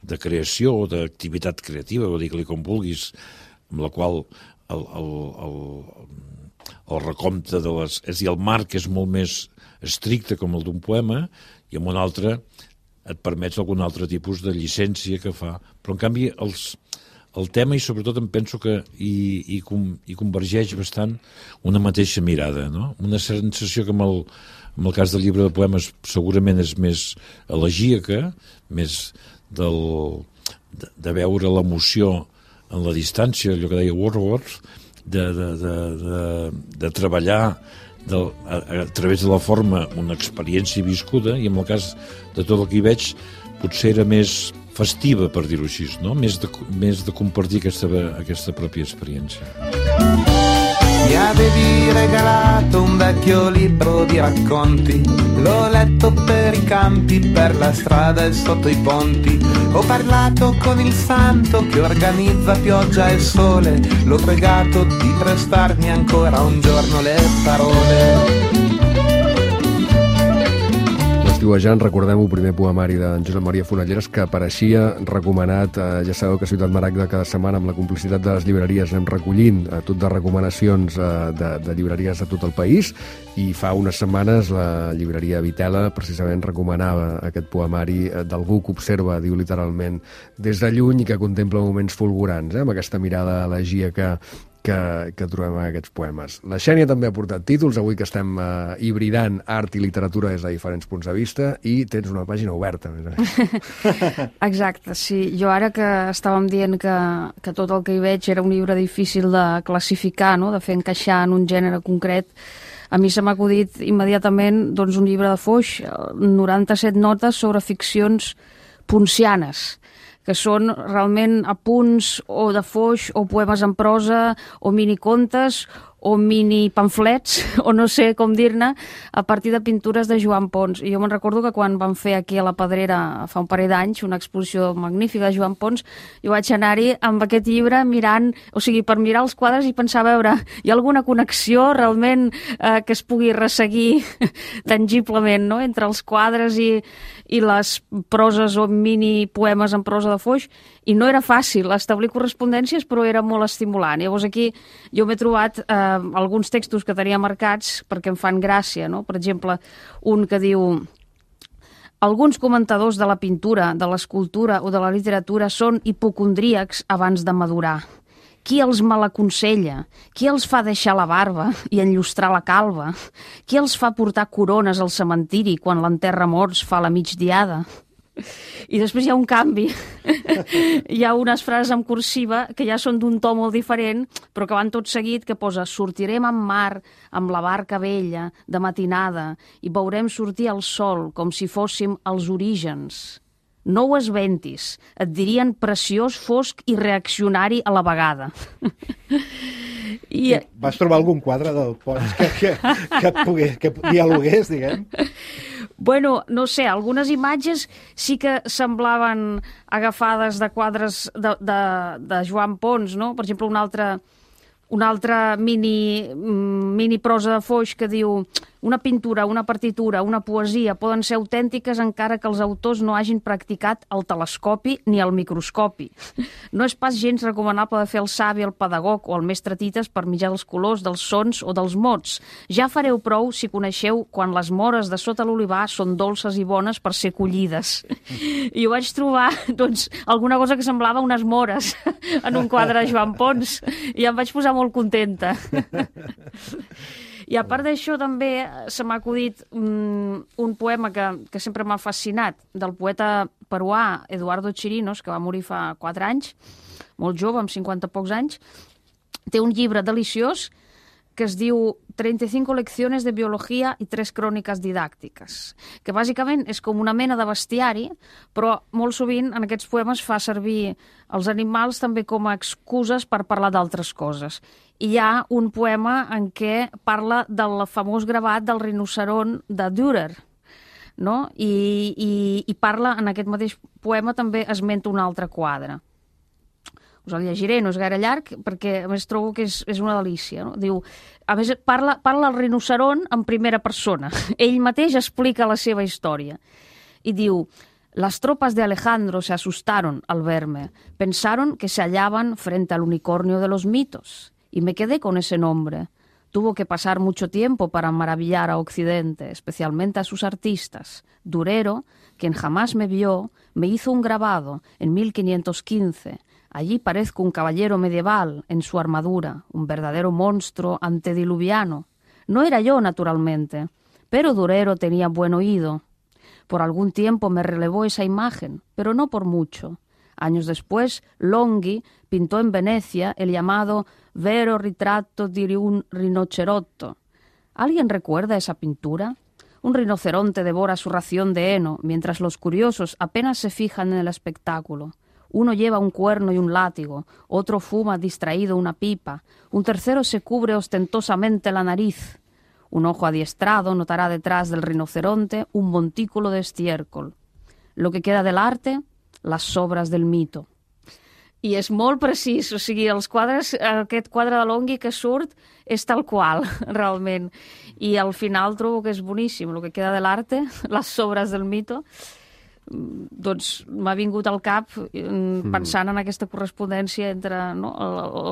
de creació o d'activitat creativa, o digue-li com vulguis, amb la qual el, el, el, el recompte de les... És a dir, el marc és molt més estricte com el d'un poema, i en un altre et permets algun altre tipus de llicència que fa. Però, en canvi, els, el tema, i sobretot em penso que hi, hi, hi convergeix bastant una mateixa mirada, no? Una sensació que amb el, amb el cas del llibre de poemes segurament és més elegíaca, més del, de, de veure l'emoció en la distància, allò que deia Wordsworth, de, de, de, de, de treballar de, a, a través de la forma una experiència viscuda, i en el cas de tot el que hi veig potser era més festiva, per dir-ho així, no? Més de, més de compartir aquesta, aquesta pròpia experiència. Mi avevi regalato un vecchio libro di racconti, l'ho letto per i campi, per la strada e sotto i ponti. Ho parlato con il santo che organizza pioggia e sole, l'ho pregato di prestarmi ancora un giorno le parole. L'Estiuejant, recordem-ho, primer poemari de Josep Maria Fonalleres, que apareixia recomanat, eh, ja sabeu que a Ciutat Maragda cada setmana amb la complicitat de les llibreries anem recollint eh, tot de recomanacions eh, de, de llibreries de tot el país, i fa unes setmanes la llibreria Vitela precisament recomanava aquest poemari eh, d'algú que observa, diu literalment, des de lluny i que contempla moments fulgurants, eh, amb aquesta mirada elegíaca que, que trobem en aquests poemes. La Xènia també ha portat títols, avui que estem uh, hibridant art i literatura des de diferents punts de vista, i tens una pàgina oberta, a més a més. Exacte, sí. Jo ara que estàvem dient que, que tot el que hi veig era un llibre difícil de classificar, no? De fer encaixar en un gènere concret, a mi se m'ha acudit immediatament doncs, un llibre de Foix, noranta-set notes sobre ficcions poncianes, que són realment apunts o de Foix o poemes en prosa o minicontes o mini pamflets, o no sé com dir-ne, a partir de pintures de Joan Pons. I jo me'n recordo que quan van fer aquí a la Pedrera fa un parell d'anys una exposició magnífica de Joan Pons, jo vaig anar-hi amb aquest llibre mirant, o sigui, per mirar els quadres i pensar, a veure, hi ha alguna connexió realment eh, que es pugui resseguir tangiblement, no?, entre els quadres i, i les proses o mini poemes en prosa de Foix, i no era fàcil establir correspondències, però era molt estimulant. Llavors aquí jo m'he trobat eh, alguns textos que tenia marcats perquè em fan gràcia, no? Per exemple, un que diu: alguns comentadors de la pintura, de l'escultura o de la literatura són hipocondríacs abans de madurar. Qui els malaconsella? Qui els fa deixar la barba i enllustrar la calva? Qui els fa portar corones al cementiri quan l'enterra morts fa la migdiada? I després hi ha un canvi. Hi ha unes frases en cursiva que ja són d'un to molt diferent, però que van tot seguit, que posa: sortirem en mar amb la barca vella de matinada i veurem sortir el sol com si fóssim els orígens. No ho esventis, et dirien preciós, fosc i reaccionari a la vegada. I... Vas trobar algun quadre del Pons que, que, que et pogués, que dialogués, diguem? Bueno, no sé, algunes imatges sí que semblaven agafades de quadres de, de, de Joan Pons, no? Per exemple, una altra, una altra mini, mini prosa de Foix que diu: una pintura, una partitura, una poesia poden ser autèntiques encara que els autors no hagin practicat el telescopi ni el microscopi. No és pas gens recomanable de fer el savi, el pedagog o el mestre tites per mitjà dels colors, dels sons o dels mots. Ja fareu prou si coneixeu quan les mores de sota l'olivar són dolces i bones per ser collides. I ho vaig trobar, doncs, alguna cosa que semblava unes mores en un quadre de Joan Pons, i em vaig posar molt contenta. I a part d'això també se m'ha acudit um, un poema que, que sempre m'ha fascinat, del poeta peruà Eduardo Chirinos, que va morir fa quatre anys, molt jove, amb cinquanta pocs anys. Té un llibre deliciós que es diu treinta y cinco lecciones de biología y tres crónicas didácticas, que bàsicament és com una mena de bestiari, però molt sovint en aquests poemes fa servir els animals també com a excuses per parlar d'altres coses. I hi ha un poema en què parla del famós gravat del rinoceront de Dürer, no? I, i, i parla, en aquest mateix poema també esmenta un altre quadre. Us el llegiré, no és gaire llarg, perquè a més trobo que és, és una delícia, no? Diu, a més, parla, parla el rinoceront en primera persona. Ell mateix explica la seva història. I diu: las tropas de Alejandro se asustaron al verme. Pensaron que se hallaban frente al unicornio de los mitos. Y me quedé con ese nombre. Tuvo que pasar mucho tiempo para maravillar a Occidente, especialmente a sus artistas. Durero, quien jamás me vio, me hizo un grabado en mil quinientos quince. Allí parezco un caballero medieval en su armadura, un verdadero monstruo antediluviano. No era yo, naturalmente, pero Durero tenía buen oído. Por algún tiempo me relevó esa imagen, pero no por mucho. Años después, Longhi pintó en Venecia el llamado Vero ritratto di un rinocerotto. ¿Alguien recuerda esa pintura? Un rinoceronte devora su ración de heno, mientras los curiosos apenas se fijan en el espectáculo. Uno lleva un cuerno y un látigo, otro fuma distraído una pipa, un tercero se cubre ostentosamente la nariz. Un ojo adiestrado notará detrás del rinoceronte un montículo de estiércol. Lo que queda del arte, las sobras del mito. I és molt precís, o sigui, els quadres, aquest quadre de Longhi que surt és tal qual, realment. I al final trobo que és boníssim. Lo que queda de l'arte, les sobres del mito, doncs m'ha vingut al cap pensant en aquesta correspondència entre, no,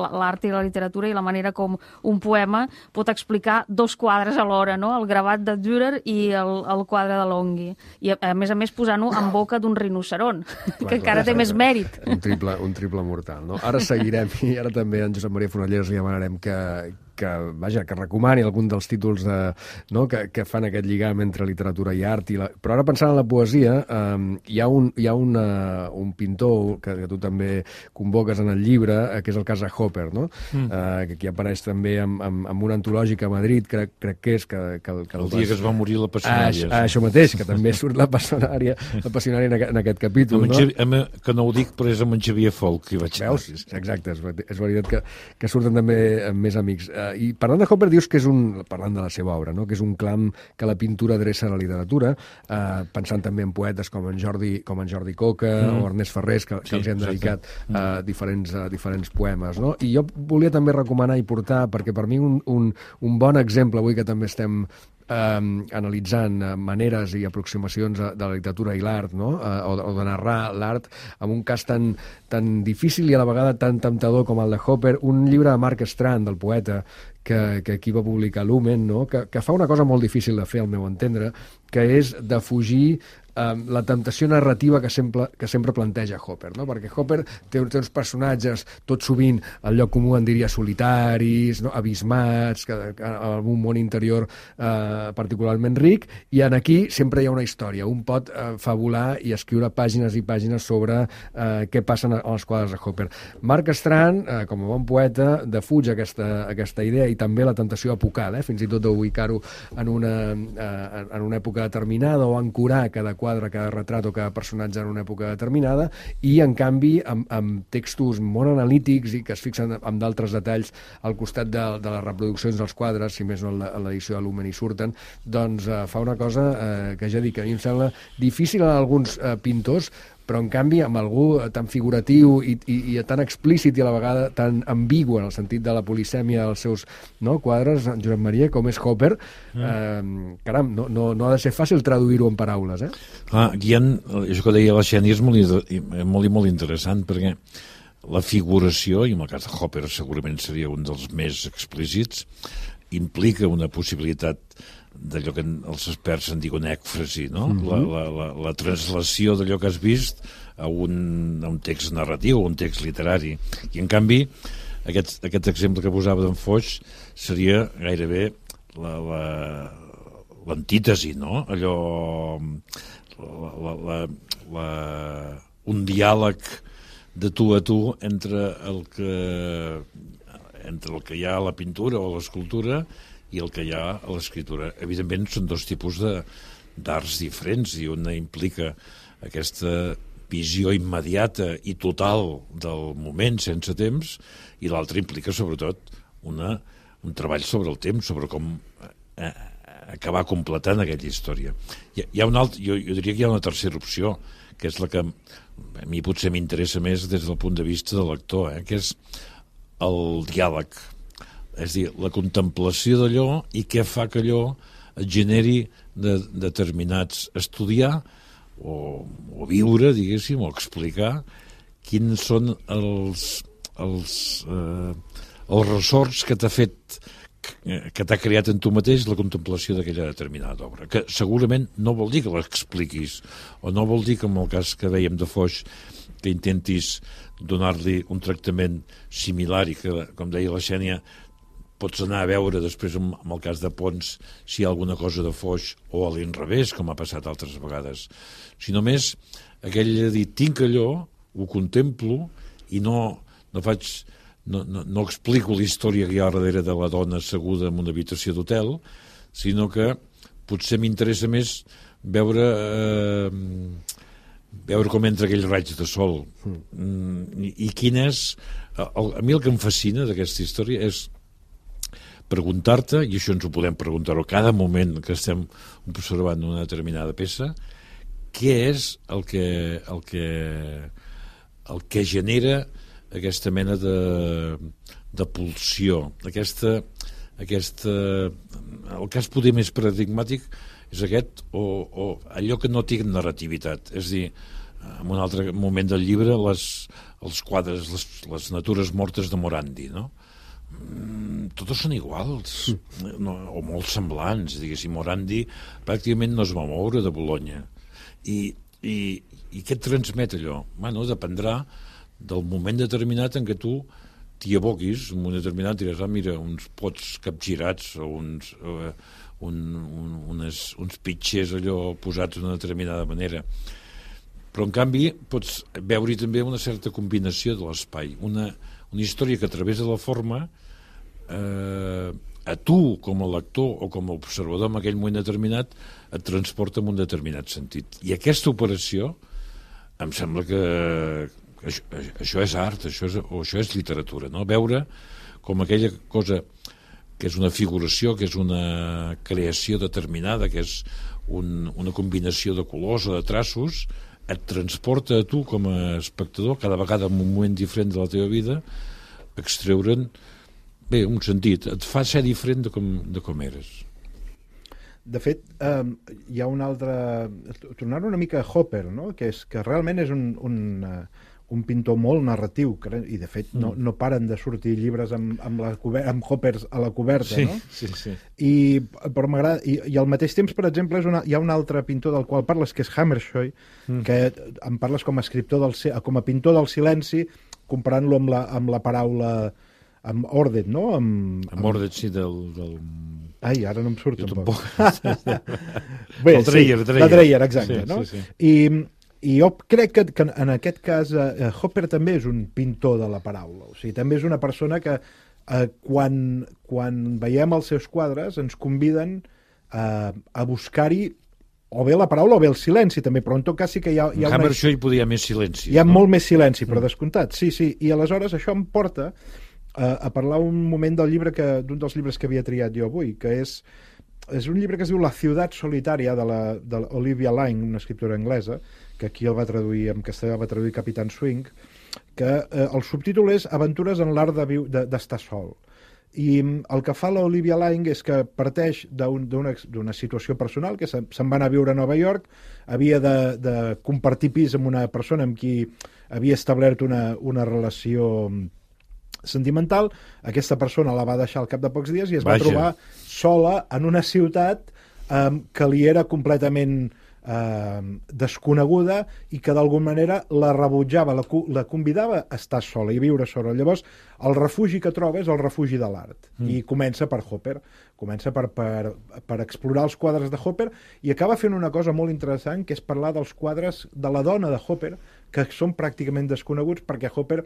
l'art i la literatura i la manera com un poema pot explicar dos quadres alhora, no? El gravat de Dürer i el, el quadre de Longhi. I a, a més a més posant-ho en boca d'un rinoceront, clar, que clar, encara clar, té clar, més mèrit. Un triple, un triple mortal, no? Ara seguirem i ara també en Josep Maria Fonolleros li demanarem que, que, vaja, que recomani algun dels títols de, no, que, que fan aquest lligam entre literatura i art. I la... Però ara pensant en la poesia, eh, hi ha, un, hi ha una, un pintor que, que tu també convoques en el llibre, eh, que és el cas de Hopper, no? Mm. Eh, que aquí apareix també amb, amb, amb una antològica a Madrid, crec, crec que és que, que, que el, el dia vas... que es va morir la passionària. Ah, això mateix, que també surt la passionària, la passionària en, aquest, en aquest capítol, no? Xavier, amb, que no ho dic, però és amb en Xavier Folk que hi vaig anar. Veus? Exacte, és, és veritat que, que surten també amb més amics. Uh, I parlant de Hopper, dius que és un, parlant de la seva obra, no? Que és un clam que la pintura adreça a la literatura, uh, pensant també en poetes com en Jordi, com en Jordi Coca mm. o Ernest Ferrés, que, que sí, els hem dedicat uh, diferents, uh, diferents poemes, no? I jo volia també recomanar i portar, perquè per mi un, un, un bon exemple, avui que també estem eh, analitzant eh, maneres i aproximacions de la literatura i l'art, no? eh, o, o de narrar l'art, amb un cas tan, tan difícil i a la vegada tan temptador com el de Hopper, un llibre de Mark Strand, del poeta, que, que aquí va publicar Lumen, no? que, que fa una cosa molt difícil de fer, al meu entendre, que és de fugir eh, la temptació narrativa que sempre, que sempre planteja Hopper, no? Perquè Hopper té, té uns personatges, tot sovint, al lloc comú en diria solitaris, no? Abismats, que, que, amb un món interior eh, particularment ric, i en aquí sempre hi ha una història. Un pot eh, fabular i escriure pàgines i pàgines sobre eh, què passa en els quadres de Hopper. Mark Strand, eh, com a bon poeta, defuig aquesta, aquesta idea i també la tentació apocal, eh? Fins i tot d'ubicar-ho en, una, eh, en una època determinada o ancorar cada quadre, cada retrat o cada personatge en una època determinada, i en canvi amb, amb textos molt analítics i que es fixen amb d'altres detalls al costat de, de les reproduccions dels quadres, si més no en l'edició de Lumen hi surten, doncs eh, fa una cosa eh, que ja dic, a mi em sembla difícil a alguns eh, pintors, però en canvi amb algú tan figuratiu i, i, i tan explícit i a la vegada tan ambigu en el sentit de la polisèmia dels seus, no, quadres, Josep Maria, com és Hopper, mm. eh, caram, no, no, no ha de ser fàcil traduir-ho en paraules, eh? Clar, aquí hi ha, això que deia la Xènia és molt, molt, molt interessant, perquè la figuració, i en el cas de Hopper segurament seria un dels més explícits, implica una possibilitat d'allò que els experts en diuen ècfrasi, no? Mm-hmm. la, la, la, la translació d'allò que has vist a un, a un text narratiu, a un text literari. I, en canvi, aquest, aquest exemple que posava d'en Foix seria gairebé l'antítesi, no? Allò... La, la, la, la, un diàleg de tu a tu entre el que, entre el que hi ha a la pintura o a l'escultura i el que hi ha a l'escriptura. Evidentment, són dos tipus d'arts diferents, i una implica aquesta visió immediata i total del moment, sense temps, i l'altra implica, sobretot, una, un treball sobre el temps, sobre com eh, acabar completant aquella història. Hi, hi ha un alt, jo, jo diria que hi ha una tercera opció, que és la que a mi potser m'interessa més des del punt de vista de l'actor, eh, que és el diàleg. És a dir, la contemplació d'allò i què fa que allò et generi de, determinats... estudiar o, o viure, diguéssim, o explicar quins són els, els, eh, els ressorts que t'ha fet, que, que t'ha creat en tu mateix la contemplació d'aquella determinada obra, que segurament no vol dir que l'expliquis, o no vol dir que, en el cas que dèiem de Foix, que intentis donar-li un tractament similar i que, com deia la Xènia, pots anar a veure després, en el cas de Pons, si hi ha alguna cosa de Foix o a l'inrevés, com ha passat altres vegades. Si només aquell de dir, tinc allò, ho contemplo i no, no faig, no, no, no explico la història que hi ha darrere de la dona asseguda en una habitació d'hotel, sinó que potser m'interessa més veure... Eh, veure com entra aquell raig de sol. Mm, i, i quin és... El, a mi el que em fascina d'aquesta història és preguntar-te, i això ens ho podem preguntar a cada moment que estem observant una determinada peça, què és el que, el que, el que genera aquesta mena de, de pulsió, aquesta, aquesta... El cas poder més paradigmàtic és aquest, o, o allò que no té narrativitat. És a dir, en un altre moment del llibre, les, els quadres, les, les natures mortes de Morandi, no? Mm, totes són iguals, no, o molt semblants, diguéssim. Morandi pràcticament no es va moure de Bologna. I, i, i què et transmet allò? Bueno, dependrà del moment determinat en què tu t'hi aboquis, en un determinat diràs, ah, mira, uns pots capgirats o uns... Eh, Un, un, unes, uns pitxers allò posats d'una determinada manera, però en canvi pots veure-hi també una certa combinació de l'espai, una, una història que a través de la forma eh, a tu com a lector o com a observador en aquell moment determinat et transporta en un determinat sentit, i aquesta operació em sembla que, que això, això és art, això és, o això és literatura, no? Veure com aquella cosa que és una figuració, que és una creació determinada, que és un, una combinació de colors o de traços, et transporta a tu com a espectador, cada vegada en un moment diferent de la teva vida, extreure'n, bé, un sentit, et fa ser diferent de com, de com eres. De fet, eh, hi ha un altre... Tornar una mica a Hopper, no? que, és, que realment és un, un, un pintor molt narratiu, i de fet no, no paren de sortir llibres amb, amb, la cober amb Hoppers a la coberta, sí, no? Sí, sí. I, però m'agrada, i, i al mateix temps, per exemple, és una, hi ha un altre pintor del qual parles, que és Hammershøi, mm. que em parles com a escriptor del, com a pintor del silenci, comparant-lo amb, la, amb la paraula amb Ordet, no? Amb, amb Ordet, sí, del... del... Ai, ara no em surt. Jo tampoc. Bé, el Dreyer, sí, Dreyer. La Dreyer, exacte. Sí, no? sí, sí. I, I jo crec que, que en aquest cas eh, Hopper també és un pintor de la paraula. O sigui, també és una persona que eh, quan, quan veiem els seus quadres ens conviden eh, a buscar-hi o bé la paraula o bé el silenci també, però en tot cas sí que hi ha... Hi ha en una... Hammershøi hi podia més silenci. Hi ha no? molt més silenci, però descomptat, sí, sí. I aleshores això em porta a, a parlar un moment del llibre que d'un dels llibres que havia triat jo avui, que és, és un llibre que es diu La ciutat solitària, de l'Olivia Laing, una escriptora anglesa, que aquí el va traduir, en castellà va traduir Capitán Swing, que eh, el subtítol és Aventures en l'art d'estar de, de, sol. I el que fa l'Olivia Laing és que parteix d'una un, situació personal, que se'n va anar a viure a Nova York, havia de, de compartir pis amb una persona amb qui havia establert una, una relació sentimental. Aquesta persona la va deixar al cap de pocs dies i es Vaja. va trobar sola en una ciutat eh, que li era completament eh, desconeguda i que d'alguna manera la rebutjava, la, la convidava a estar sola i viure sola. Llavors, el refugi que troba és el refugi de l'art. Mm. I comença per Hopper. Comença per, per, per explorar els quadres de Hopper i acaba fent una cosa molt interessant, que és parlar dels quadres de la dona de Hopper, que són pràcticament desconeguts perquè Hopper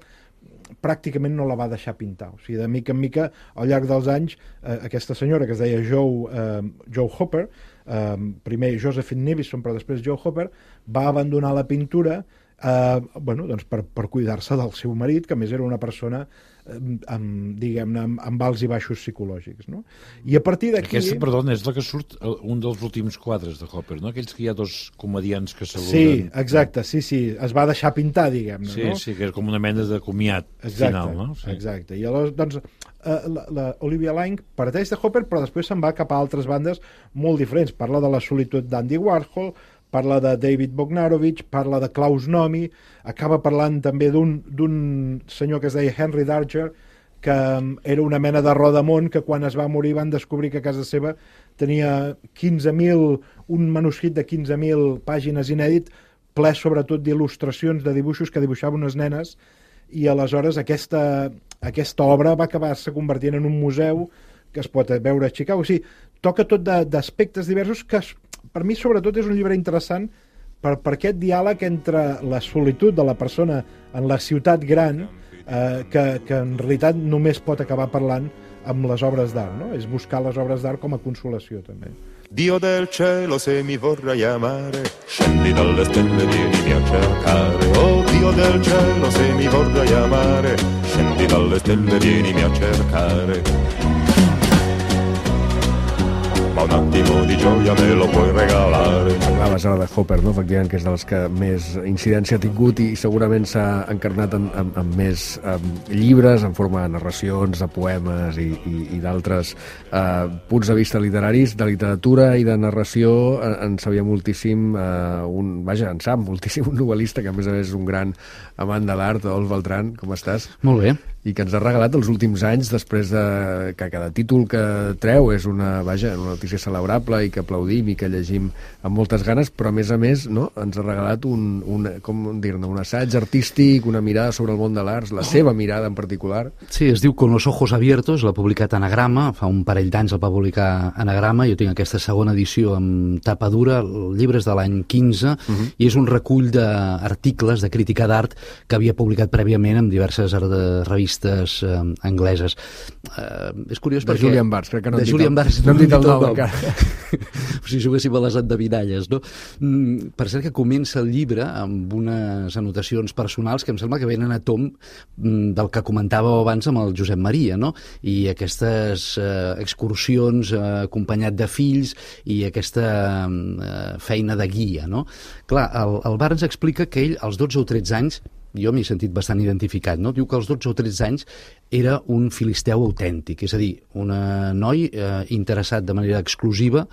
pràcticament no la va deixar pintar. O sigui, de mica en mica, al llarg dels anys, eh, aquesta senyora que es deia Joe, eh, Joe Hopper, eh, primer Josephine Nivison, però després Joe Hopper, va abandonar la pintura eh, bueno, doncs per, per cuidar-se del seu marit, que a més era una persona eh, amb, diguem-ne, amb, amb alts i baixos psicològics, no? I a partir d'aquí... Aquesta, perdona, és la que surt un dels últims quadres de Hopper, no? Aquells que hi ha dos comedians que saluden. Sí, exacte, sí, sí, es va deixar pintar, diguem-ne, sí, no? Sí, que és com una mena de comiat exacte, final, no? Sí. Exacte, i aleshores, doncs, eh, la, la Olivia Laing parteix de Hopper, però després se'n va cap a altres bandes molt diferents. Parla de la solitud d'Andy Warhol, parla de David Bogdanovich, parla de Klaus Nomi, acaba parlant també d'un senyor que es deia Henry Darger, que era una mena de rodamont que quan es va morir van descobrir que a casa seva tenia quinze mil, un manuscrit de quinze mil pàgines inèdit, ple sobretot d'il·lustracions, de dibuixos que dibuixava unes nenes, i aleshores aquesta, aquesta obra va acabar-se convertint en un museu que es pot veure a Chicago. O sigui, toca tot d'aspectes diversos que per mi sobretot és un llibre interessant per, per aquest diàleg entre la solitud de la persona en la ciutat gran, eh, que, que en realitat només pot acabar parlant amb les obres d'art, no? És buscar les obres d'art com a consolació també. Dio del cielo, se mi vorrai amare, scendi dalle stelle, vienimi a cercare. Oh Dio del cielo, se mi vorrai amare, scendi dalle stelle, vienimi a cercare. Ma un attimo di gioia me lo puoi regalare. Parlaves ara de Hopper, no? Efectivament, que és dels que més incidència ha tingut i segurament s'ha encarnat en, en, en més en llibres, en forma de narracions, de poemes i, i, i d'altres eh, punts de vista literaris, de literatura i de narració. En, en sabia moltíssim, eh, un, vaja, en sap moltíssim, un novel·lista que a més a més és un gran amant de l'art, Adolf Beltrán, com estàs? Molt bé. I que ens ha regalat els últims anys, després de que cada títol que treu és una, vaja, una notícia celebrable i que aplaudim i que llegim amb moltes ganes, però a més a més, no, ens ha regalat un, un, com dir-ne, un assaig artístic, una mirada sobre el món de l'art, la seva mirada en particular. Sí, es diu Con los ojos abiertos, l'ha publicat Anagrama, fa un parell d'anys el va publicar Anagrama, jo tinc aquesta segona edició amb tapa dura, el llibre és de l'any quinze, uh-huh. i és un recull d'articles de crítica d'art que havia publicat prèviament en diverses revistes eh, angleses. Eh, és curiós de perquè... Julian Barts, crec que no de hem dit Julian el, Barts, no hem dit el nom. encara. Si juguéssim a les endevinalles, no? Mm, per cert que comença el llibre amb unes anotacions personals que em sembla que venen a tom mm, del que comentàveu abans amb el Josep Maria, no? I aquestes eh, excursions eh, acompanyat de fills i aquesta eh, feina de guia, no? Clar, el, el Barnes explica que ell, als dotze o tretze anys, jo m'hi he sentit bastant identificat, no? Diu que als dotze o tretze anys era un filisteu autèntic, és a dir, un noi eh, interessat de manera exclusiva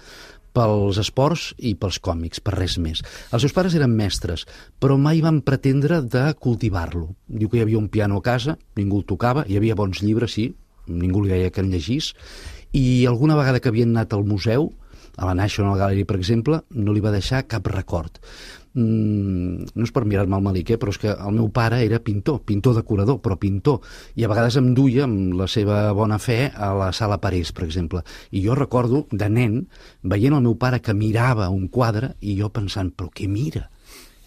pels esports i pels còmics, per res més. Els seus pares eren mestres, però mai van pretendre de cultivar-lo. Diu que hi havia un piano a casa, ningú el tocava, hi havia bons llibres, sí, ningú li deia que en llegís, i alguna vegada que havien anat al museu, a la National Gallery, per exemple, no li va deixar cap record. Mm, no és per mirar-me al malic, eh, però és que el meu pare era pintor, pintor decorador, però pintor, i a vegades em duia amb la seva bona fe a la Sala Parés, per exemple. I jo recordo, de nen, veient el meu pare que mirava un quadre i jo pensant, però què mira?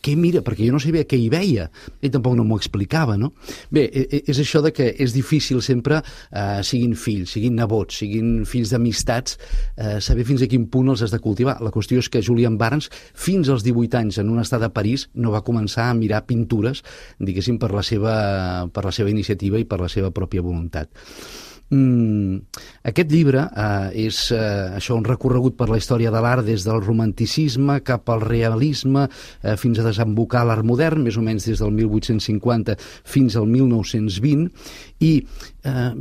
Què mira? Perquè jo no sabia què hi veia. Ell tampoc no m'ho explicava, no? Bé, és això de que és difícil sempre, eh, siguin fills, siguin nebots, siguin fills d'amistats, eh, saber fins a quin punt els has de cultivar. La qüestió és que Julian Barnes, fins als divuit anys, en una estada a París, no va començar a mirar pintures, diguéssim, per la seva, per la seva iniciativa i per la seva pròpia voluntat. Mm, aquest llibre eh, és eh, això, un recorregut per la història de l'art des del romanticisme cap al realisme eh, fins a desembocar l'art modern, més o menys des del mil vuit-cents cinquanta fins al mil nou-cents vint, i eh,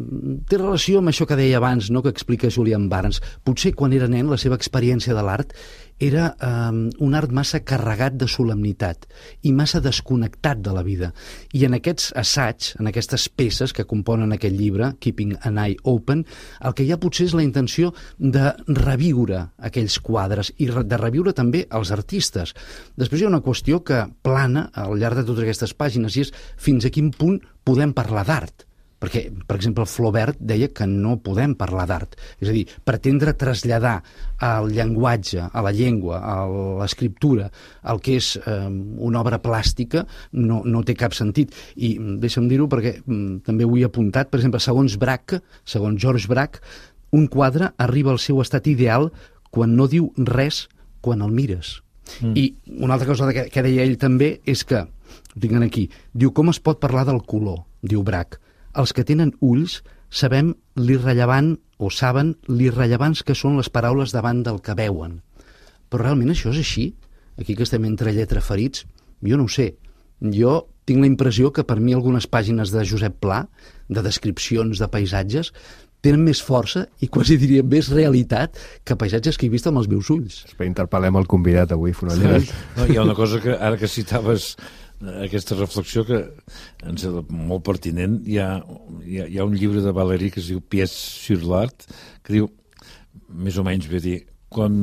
té relació amb això que deia abans, no?, que explica Julian Barnes. Potser quan era nen la seva experiència de l'art era eh, un art massa carregat de solemnitat i massa desconnectat de la vida. I en aquests assaigs, en aquestes peces que componen aquest llibre, Keeping an Eye Open, el que hi ha potser és la intenció de reviure aquells quadres i de reviure també els artistes. Després hi ha una qüestió que plana al llarg de totes aquestes pàgines i és fins a quin punt podem parlar d'art. Perquè, per exemple, Flaubert deia que no podem parlar d'art. És a dir, pretendre traslladar al llenguatge, a la llengua, a l'escriptura, el que és eh, una obra plàstica, no, no té cap sentit. I deixa'm dir-ho perquè mm, també ho he apuntat, per exemple, segons Braque, segons George Braque, un quadre arriba al seu estat ideal quan no diu res quan el mires. Mm. I una altra cosa que, que deia ell també és que, ho tinc aquí, diu com es pot parlar del color, diu Braque. Els que tenen ulls sabem l'irrellevant o saben l'irrellevants que són les paraules davant del que veuen. Però realment això és així? Aquí que estem entre lletraferits? Jo no ho sé. Jo tinc la impressió que per mi algunes pàgines de Josep Pla, de descripcions de paisatges, tenen més força i quasi diria més realitat que paisatges que he vist amb els meus ulls. Interpel·lem el convidat avui, Fonolleres. No, hi ha una cosa que ara que citaves aquesta reflexió que ens és molt pertinent. Hi ha, hi ha, hi ha un llibre de Valéry que es diu Pièces sur l'art, que diu, més o menys, ve a dir, com,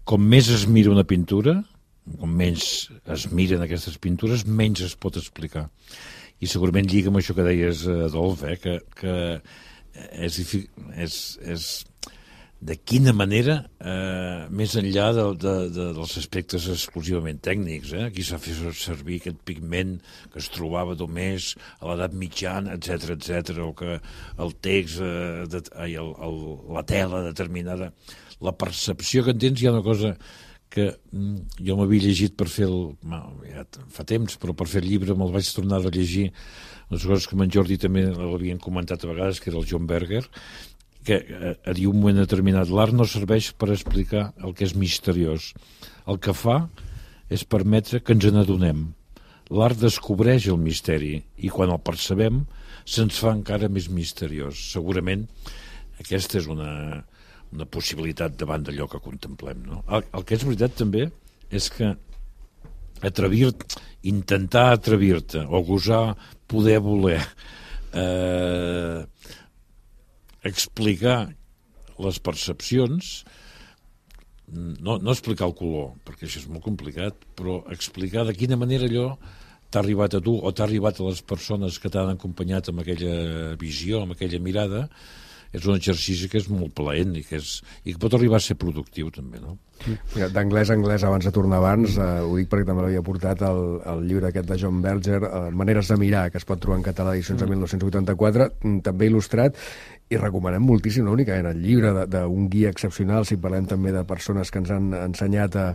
com més es mira una pintura, com menys es miren aquestes pintures, menys es pot explicar. I segurament lliga amb això que deies, Adolf, eh, que, que és, és, és de quina manera, eh, més enllà de, de, de, dels aspectes exclusivament tècnics, eh? Aquí s'ha fet servir aquest pigment que es trobava només a l'edat mitjana, etcètera, etcètera, o que el text, eh, de, ai, el, el, la tela determinada, la percepció que en tens. Hi ha una cosa que mm, jo m'havia llegit per fer el... ja fa temps, però per fer el llibre me'l vaig tornar a llegir, les coses que amb en Jordi també l'havien comentat a vegades, que era el John Berger, que a dir un moment determinat l'art no serveix per explicar el que és misteriós. El que fa és permetre que ens n'adonem. L'art descobreix el misteri i quan el percebem se'ns fa encara més misteriós. Segurament aquesta és una, una possibilitat davant d'allò que contemplem, no? El, el que és veritat també és que atrevir-te, intentar atrevir-te o gosar poder voler eh, explicar les percepcions, no, no explicar el color, perquè això és molt complicat, però explicar de quina manera allò t'ha arribat a tu o t'ha arribat a les persones que t'han acompanyat amb aquella visió, amb aquella mirada, és un exercici que és molt plaent i que, és, i que pot arribar a ser productiu, també, no? D'anglès a anglès, abans de tornar abans, eh, ho dic perquè també l'havia portat el, el llibre aquest de John Berger, eh, Maneres de mirar, que es pot trobar en català edicions de mil nou-cents vuitanta-quatre, també il·lustrat, i recomanem moltíssim, no únicament el llibre d'un guia excepcional, si parlem també de persones que ens han ensenyat a,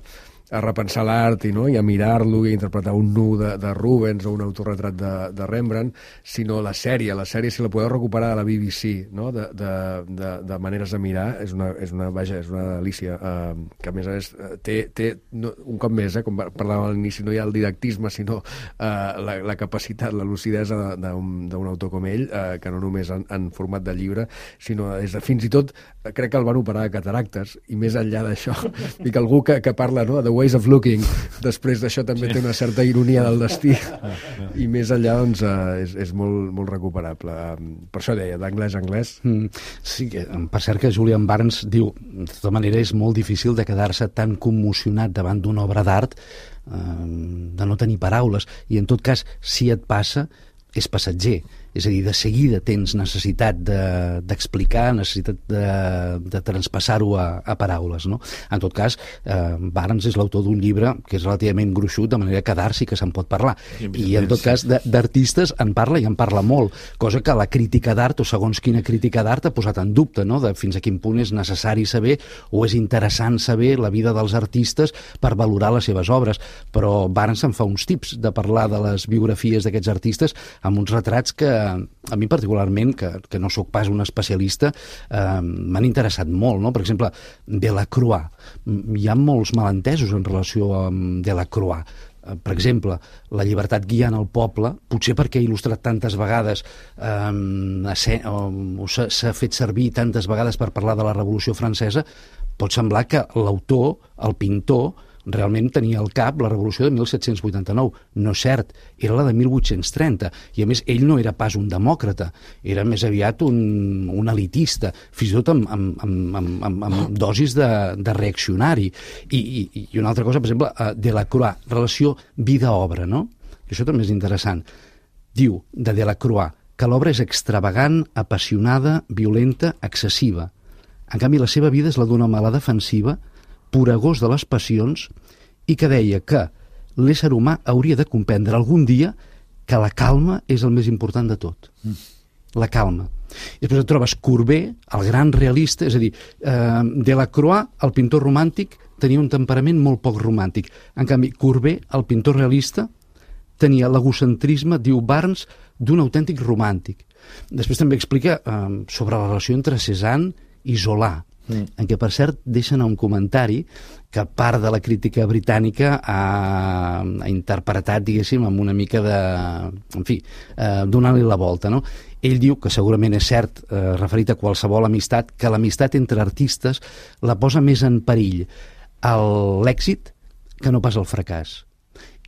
a repensar l'art i, no? I a mirar-lo i a interpretar un nu de, de Rubens o un autorretrat de, de Rembrandt, sinó la sèrie. La sèrie, si la podeu recuperar de la B B C, no? de, de, de, de Maneres de mirar, és una, és una, vaja, és una delícia, eh, que a més a més té, té no, un cop més, eh, com parlàvem a l'inici, no hi ha el didactisme, sinó eh, la, la capacitat, la lucidesa d'un autor com ell, eh, que no només en, en format de llibre, sinó és, fins i tot, crec que el van operar de cataractes, i més enllà d'això, i que algú que, que parla, no?, de Ways of Looking, després d'això també sí. té una certa ironia del destí, i més enllà, doncs, eh, és, és molt, molt recuperable. Per això deia, d'anglès a anglès. Mm, sí, per cert que Julian Barnes diu, de tota manera és molt difícil de quedar-se tan commocionat davant d'una obra d'art, eh, de no tenir paraules, i en tot cas, si et passa, és passatger. És a dir, de seguida tens necessitat d'explicar, de, necessitat de, de transpassar-ho a, a paraules, no? En tot cas, eh, Barnes és l'autor d'un llibre que és relativament gruixut, de manera que d'art sí que se'n pot parlar. I en tot cas, d'artistes en parla i en parla molt, cosa que la crítica d'art, o segons quina crítica d'art, ha posat en dubte, no?, de fins a quin punt és necessari saber o és interessant saber la vida dels artistes per valorar les seves obres. Però Barnes en fa uns tips de parlar de les biografies d'aquests artistes amb uns retrats que a mi particularment, que, que no sóc pas un especialista, eh, m'han interessat molt, no? Per exemple, Delacroix. Hi ha molts malentesos en relació amb Delacroix. Eh, per exemple, la llibertat guiant el poble, potser perquè ha il·lustrat tantes vegades, eh, o s'ha fet servir tantes vegades per parlar de la Revolució Francesa, pot semblar que l'autor, el pintor, realment tenia al cap la revolució de mil set-cents vuitanta-nou. No és cert, era la de mil vuit-cents trenta, i a més ell no era pas un demòcrata, era més aviat un, un elitista, fins i tot amb, amb, amb, amb, amb dosis de, de reaccionari. I, i, I una altra cosa, per exemple, Delacroix, relació vida-obra, no? I això també és interessant. Diu de Delacroix que l'obra és extravagant, apassionada, violenta, excessiva. En canvi, la seva vida és la d'una mala defensiva, poregós de les passions, i que deia que l'ésser humà hauria de comprendre algun dia que la calma és el més important de tot. Mm. La calma. I després et trobes Courbet, el gran realista, és a dir, eh, Delacroix, el pintor romàntic, tenia un temperament molt poc romàntic. En canvi, Courbet, el pintor realista, tenia l'egocentrisme, diu Barnes, d'un autèntic romàntic. Després també explica eh, sobre la relació entre Cézanne i Zola, Mm. en què, per cert, deixen un comentari que part de la crítica britànica ha, ha interpretat, diguéssim, amb una mica de... en fi, eh, donant-li la volta, no? Ell diu, que segurament és cert, eh, referit a qualsevol amistat, que l'amistat entre artistes la posa més en perill l'èxit que no pas el fracàs.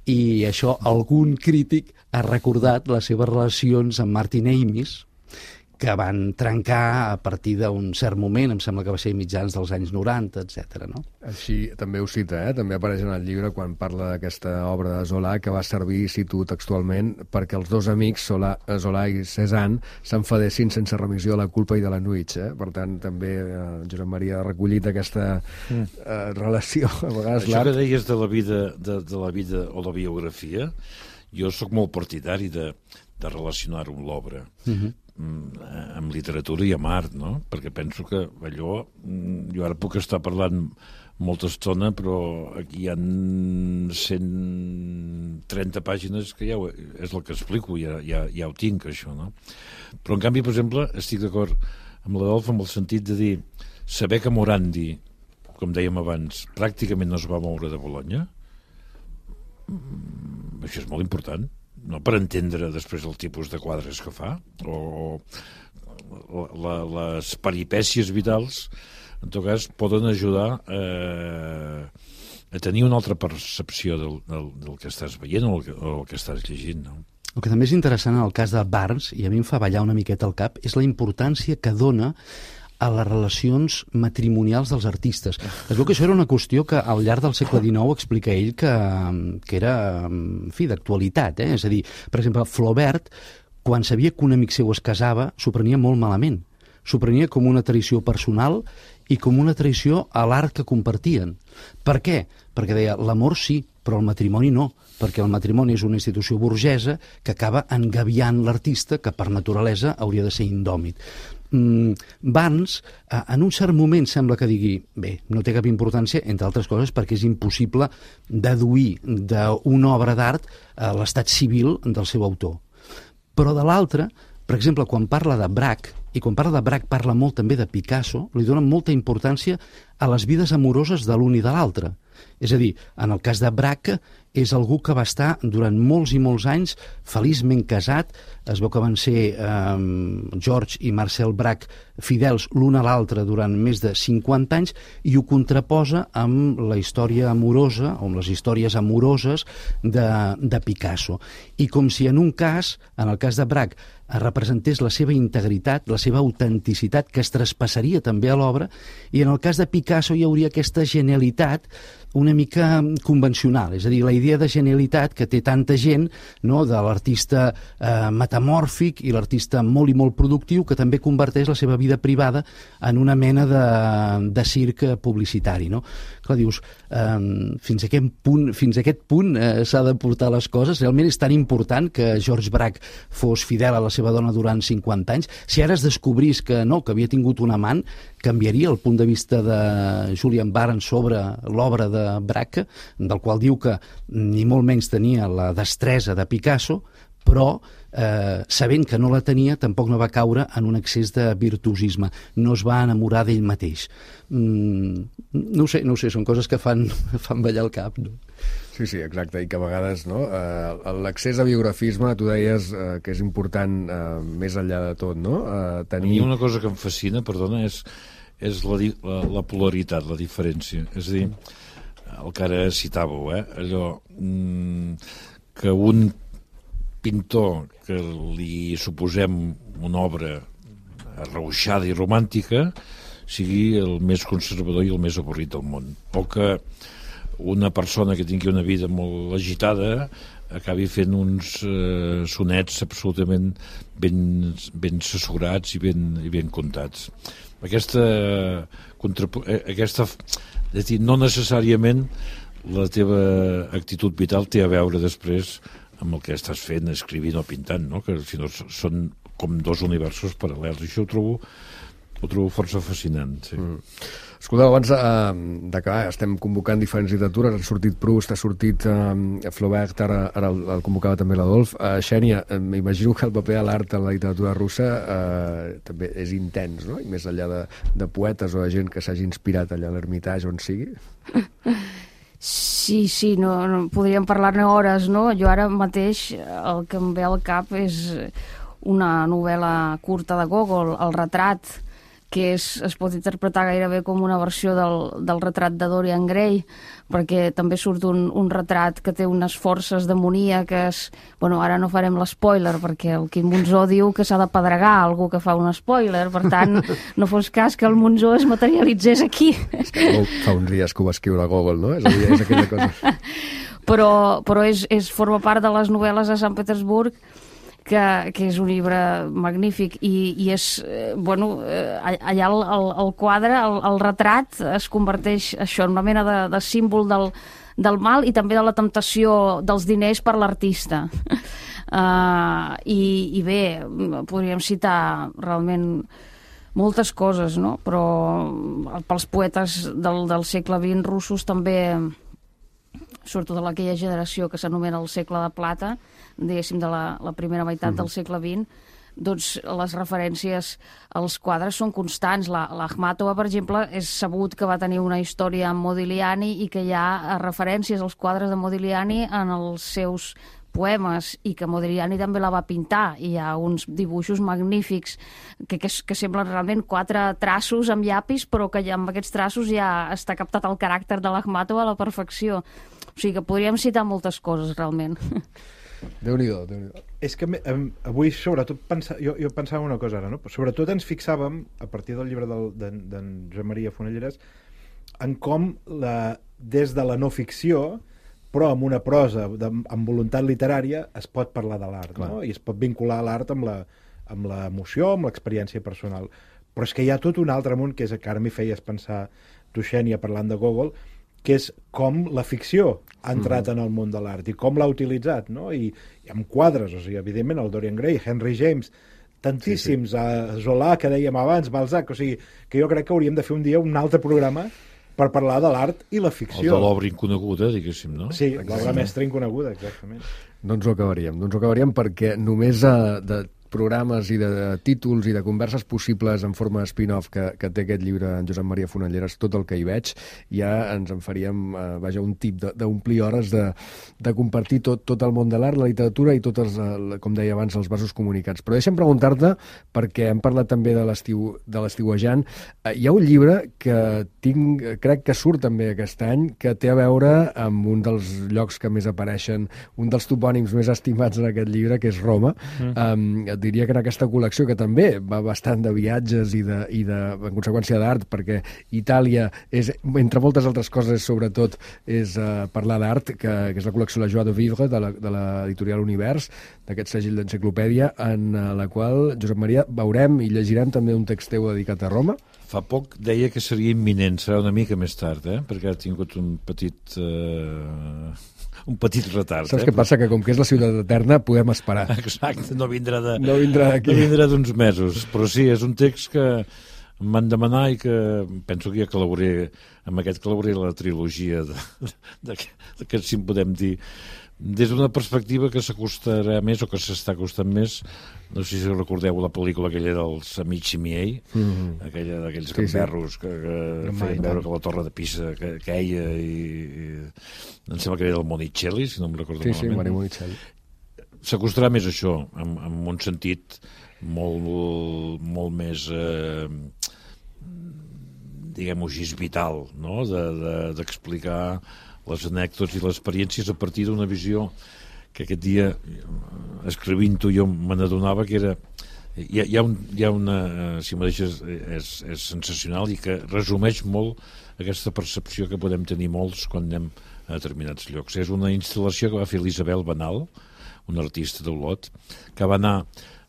I això algun crític ha recordat les seves relacions amb Martin Amis, que van trencar a partir d'un cert moment, em sembla que va ser mitjans dels anys noranta, etcètera. No? Així també ho cita, eh? També apareix en el llibre quan parla d'aquesta obra de Zola, que va servir, cito textualment, perquè els dos amics, Zola, Zola i Cézanne, s'enfadessin sense remissió de la culpa i de l'enuig. Eh? Per tant, també eh, Josep Maria ha recollit aquesta eh, relació. A vegades Això que deies de la vida, de, de la vida o la biografia, jo sóc molt partidari de, de relacionar-ho amb l'obra. Uh-huh. amb literatura i amb art, no? Perquè penso que allò, jo ara puc estar parlant molta estona, però aquí hi ha cent trenta pàgines que ja ho, és el que explico, ja, ja, ja ho tinc, això, no? Però, en canvi, per exemple, estic d'acord amb l'Adolf en el sentit de dir, saber que Morandi, com dèiem abans, pràcticament no es va moure de Bologna, això és molt important, no per entendre després el tipus de quadres que fa, o la, les peripècies vitals, en tot cas, poden ajudar eh, a tenir una altra percepció del, del, del que estàs veient o el que, o el que estàs llegint, no? El que també és interessant en el cas de Barnes, i a mi em fa ballar una miqueta al cap, és la importància que dona a les relacions matrimonials dels artistes. Es veu que això era una qüestió que al llarg del segle dinou explica ell que, que era, en fi, d'actualitat. Eh? És a dir, per exemple, Flaubert, quan sabia que un amic seu es casava, s'ho prenia molt malament, s'ho prenia com una traïció personal i com una traïció a l'art que compartien. Per què? Perquè deia, l'amor sí, però el matrimoni no, perquè el matrimoni és una institució burgesa que acaba engaviant l'artista, que per naturalesa hauria de ser indòmit. Mm, Barnes, en un cert moment sembla que digui, bé, no té cap importància, entre altres coses perquè és impossible deduir d'una obra d'art l'estat civil del seu autor. Però de l'altra, per exemple, quan parla de Braque, i quan parla de Braque parla molt també de Picasso, li dona molta importància a les vides amoroses de l'un i de l'altre. És a dir, en el cas de Braque, és algú que va estar durant molts i molts anys feliçment casat. Es veu que van ser eh, George i Marcel Braque fidels l'un a l'altre durant més de cinquanta anys i ho contraposa amb la història amorosa, o amb les històries amoroses de, de Picasso. I com si en un cas, en el cas de Braque, representés la seva integritat, la seva autenticitat, que es traspassaria també a l'obra, i en el cas de Picasso hi hauria aquesta genialitat una mica convencional, és a dir, la idea de genialitat que té tanta gent, no?, de l'artista eh, metamòrfic i l'artista molt i molt productiu, que també converteix la seva vida privada en una mena de, de circ publicitari, no? Clar, dius, eh, fins a aquest punt, fins a aquest punt eh, s'ha de portar les coses. Realment és tan important que George Braque fos fidel a la seva dona durant cinquanta anys. Si ara es descobrís que no, que havia tingut un amant, canviaria el punt de vista de Julian Barnes sobre l'obra de Braque, del qual diu que ni molt menys tenia la destresa de Picasso, però eh, sabent que no la tenia tampoc no va caure en un excés de virtuosisme, no es va enamorar d'ell mateix. Mm, no ho sé, no ho sé, són coses que fan, fan ballar el cap, no? Sí, sí, exacte, i que a vegades, no, eh, l'accés a biografisme, tu deies eh, que és important eh, més enllà de tot, no? Eh, tenir... A mi una cosa que em fascina, perdona, és, és la, la, la polaritat, la diferència. És a dir, el que ara citàveu, eh, allò mm, que un pintor que li suposem una obra arrauixada i romàntica sigui el més conservador i el més avorrit del món, o que una persona que tingui una vida molt agitada acabi fent uns eh, sonets absolutament ben, ben assessorats i ben, i ben contats. Aquesta, aquesta, és dir, no necessàriament la teva actitud vital té a veure després amb el que estàs fent, escrivint o pintant, no? Que si no són com dos universos paral·lels. I això ho trobo, ho trobo força fascinant. Sí. Mm. Escolteu, abans uh, d'acabar, estem convocant diferents literatures, ha sortit Proust, ha sortit uh, Flaubert, ara, ara el, el convocava també l'Adolf. Uh, Xènia, uh, m'imagino que el paper de l'art en la literatura russa uh, també és intens, no? I més enllà de, de poetes o de gent que s'hagi inspirat allà a l'Ermitage on sigui. Sí, sí, no, no, podríem parlar-ne hores, no? Jo ara mateix el que em ve al cap és una novel·la curta de Gogol, El retrat, que és, es pot interpretar gairebé com una versió del, del retrat de Dorian Gray, perquè també surt un, un retrat que té unes forces demoníaques. Bueno, ara no farem l'espoiler, perquè el Quim Monzó diu que s'ha de pedregar algú que fa un spoiler, per tant, no fos cas que el Monzó es materialitzés aquí. És que fa uns dies que ho va escriure Gogol, no? És a dir, és aquella cosa... Però, però és, és, forma part de les novel·les de Sant Petersburg, que, que és un llibre magnífic i, i és, eh, bueno, eh, allà el, el, el quadre, el, el retrat es converteix això en una mena de, de símbol del, del mal i també de la temptació dels diners per l'artista. Uh, i, i bé, podríem citar realment moltes coses, no? Però pels poetes del, del segle vint russos també, sobretot de aquella generació que s'anomena el segle de plata, diguéssim, de la, la primera meitat uh-huh. del segle vint, doncs les referències als quadres són constants. La, l'Akhmatova, per exemple, és sabut que va tenir una història amb Modigliani i que hi ha referències als quadres de Modigliani en els seus poemes i que Modigliani també la va pintar. Hi ha uns dibuixos magnífics que, que, que semblen realment quatre traços amb llapis, però que ja amb aquests traços ja està captat el caràcter de l'Akhmatova a la perfecció. O sigui que podríem citar moltes coses, realment. Déu-n'hi-do, Déu-n'hi-do. És que avui, sobretot, pensa, jo, jo pensava una cosa ara, no? Sobretot ens fixàvem, a partir del llibre d'en de, de Josep Maria Fonelleres, en com, la, des de la no ficció, però amb una prosa, de, amb voluntat literària, es pot parlar de l'art, no? I es pot vincular l'art amb la, amb l'emoció, amb l'experiència personal. però és que hi ha tot un altre món, que és que ara m'hi feies pensar tu, Xènia, parlant de Gogol, que és com la ficció ha entrat mm. en el món de l'art i com l'ha utilitzat, no? I, i amb quadres, o sigui, evidentment, el Dorian Gray, Henry James, tantíssims, sí, sí. A Zola, que dèiem abans, Balzac, o sigui, que jo crec que hauríem de fer un dia un altre programa per parlar de l'art i la ficció. El de l'obra inconeguda, diguéssim, no? Sí, l'obra mestra inconeguda, exactament. No ens ho acabaríem, no ens ho acabaríem perquè només a, de programes i de, de títols i de converses possibles en forma de spin-off que, que té aquest llibre en Josep Maria Fonalleres, tot el que hi veig, ja ens en faríem, eh, vaja, un tip d'omplir hores de, de compartir tot, tot el món de l'art, la literatura i tots, els, eh, com deia abans, els vasos comunicats. Però deixa'm preguntar-te, perquè hem parlat també de l'estiu de l'estiuejant, eh, hi ha un llibre que tinc, crec que surt també aquest any, que té a veure amb un dels llocs que més apareixen, un dels topònims més estimats en aquest llibre, que és Roma. Mm. Um, diria que en aquesta col·lecció, que també va bastant de viatges i de, i de en conseqüència d'art, perquè Itàlia és, entre moltes altres coses, sobretot és uh, parlar d'art, que, que és la col·lecció La Joie de Vivre de l'editorial Univers, d'aquest segell d'enciclopèdia, en uh, la qual, Josep Maria, veurem i llegirem també un text teu dedicat a Roma. Fa poc deia que seria imminent, serà una mica més tard, eh? Perquè ha tingut un petit... Uh... un petit retard. Saps eh? què passa? Que com que és la ciutat eterna, podem esperar. Exacte, no vindrà de... No vindrà d'aquí. No vindrà d'uns mesos. Però sí, és un text que em van demanar i que penso que ja col·laboré, amb aquest col·laboré la trilogia de, de, de que si en podem dir, des d'una perspectiva que s'acostarà més o que s'està acostant més. No sé si recordeu la pel·lícula aquella dels Amici miei, mm-hmm. aquella d'aquells sí, gamberros sí. que, que no feien veure que la torre de Pisa que, queia i, i em sembla que era el Monicelli, si no em recordo sí, malament. Sí, Mario Monicelli. S'acostarà més a això, en, en un sentit molt, molt més eh, diguem-ho així, vital, no? de, de, d'explicar les anècdotes i les experiències a partir d'una visió que aquest dia, escrivint-ho, jo me n'adonava que era... Hi ha, hi ha, un, hi ha una... Si m'ho deixes, és, és sensacional i que resumeix molt aquesta percepció que podem tenir molts quan anem a determinats llocs. És una instal·lació que va fer l'Isabel Banal, una artista d'Olot, que va anar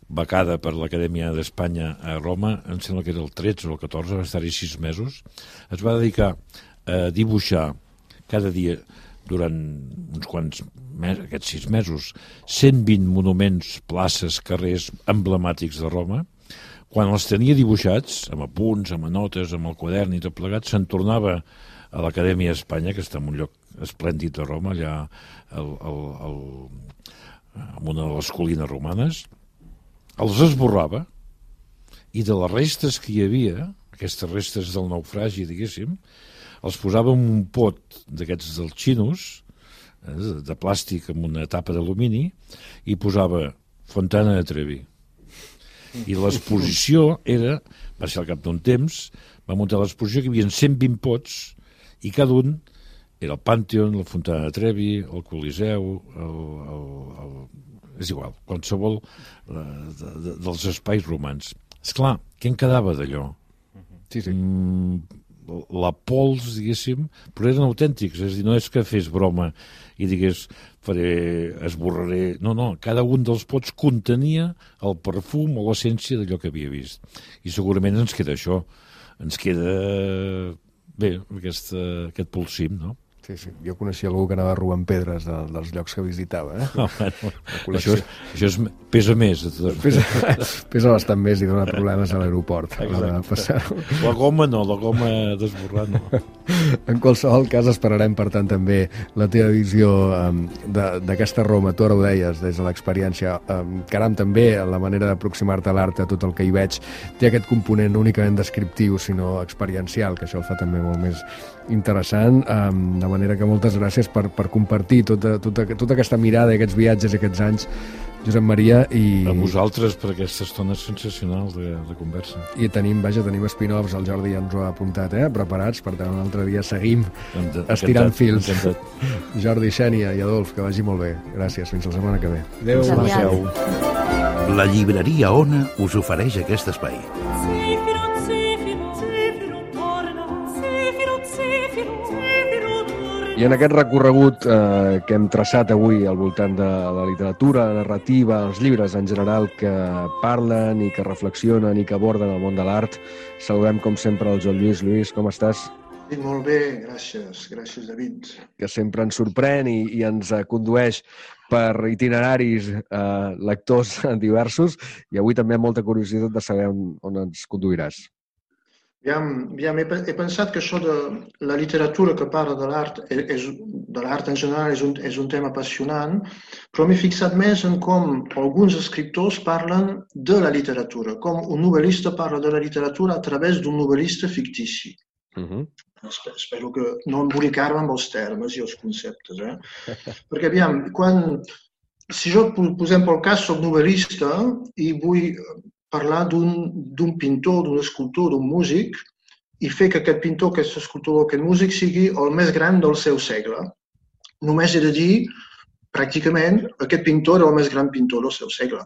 becada per l'Acadèmia d'Espanya a Roma, em sembla que era el tretze o el catorze, va estar-hi sis mesos. Es va dedicar a dibuixar cada dia durant uns quants mesos, aquests sis mesos, cent vint monuments, places, carrers emblemàtics de Roma. Quan els tenia dibuixats, amb apunts, amb notes, amb el quadern i tot plegat, se'n tornava a l'Acadèmia d'Espanya, que està en un lloc esplèndid de Roma, allà el, el, el, en una de les colines romanes, els esborrava i de les restes que hi havia, aquestes restes del naufragi, diguéssim, els posava en un pot d'aquests dels xinos, eh, de plàstic amb una tapa d'alumini, i posava Fontana de Trevi. I l'exposició era, va ser al cap d'un temps, va muntar l'exposició que hi havia cent vint pots, i cada un era el Pànteon, la Fontana de Trevi, el Coliseu, el, el, el, és igual, qualsevol eh, de, de, dels espais romans. Esclar, què en quedava d'allò? Sí, sí. Mm, la pols, diguéssim, però eren autèntics, és a dir, no és que fes broma i digués, faré, esborraré... No, no, cada un dels pots contenia el perfum o l'essència d'allò que havia vist. I segurament ens queda això, ens queda, bé, aquest, aquest polsim, no? Sí, sí. Jo coneixia algú que anava robant pedres de, dels llocs que visitava. Eh? Oh, bueno, això, això és, pesa més. Pesa, pesa bastant més i dona problemes a l'aeroport. La goma no, la goma d'esborrar no. En qualsevol cas esperarem, per tant, també la teva visió um, d'aquesta Roma. Tu ara ho deies, des de l'experiència. Um, caram, també la manera d'aproximar-te a l'art, a tot el que hi veig, té aquest component no únicament descriptiu, sinó experiencial, que això el fa també molt més interessant. Um, de manera que moltes gràcies per, per compartir tota, tota, tota aquesta mirada i aquests viatges i aquests anys, Josep Maria. I... A vosaltres per aquesta estona sensacional de, de conversa. I tenim, vaja, tenim spin-offs, el Jordi ja ens ho ha apuntat, eh? Preparats, per tant un altre dia seguim encantat, estirant fils. Encantat. Jordi, Xènia i Adolf, que vagi molt bé. Gràcies, fins la setmana que ve. Adéu. Adéu. La llibreria Ona us ofereix aquest espai. Zefiro, Zefiro, torna, Zefiro, Zefiro, Zefiro, torna. I en aquest recorregut eh, que hem traçat avui al voltant de la literatura, la narrativa, els llibres en general que parlen i que reflexionen i que aborden el món de l'art, saludem com sempre el Joan Lluís. Lluís, com estàs? Sí, molt bé, gràcies. Gràcies, David. Que sempre ens sorprèn i, i ens condueix per itineraris eh, lectors diversos, i avui també amb molta curiositat de saber on, on ens conduiràs. Aviam, aviam, he, he pensat que això de la literatura que parla de l'art, és, de l'art en general, és un, és un tema apassionant, però m'he fixat més en com alguns escriptors parlen de la literatura, com un novel·lista parla de la literatura a través d'un novel·lista fictici. Uh-huh. Espero, espero que no embolicar-me amb els termes i els conceptes, eh? Perquè, aviam, quan, si jo, posem pel cas, soc novel·lista i vull parlar d'un pintor, d'un escultor, d'un músic, i fer que aquest pintor, aquest escultor o aquest músic sigui el més gran del seu segle. Només he de dir, pràcticament, aquest pintor era el més gran pintor del seu segle.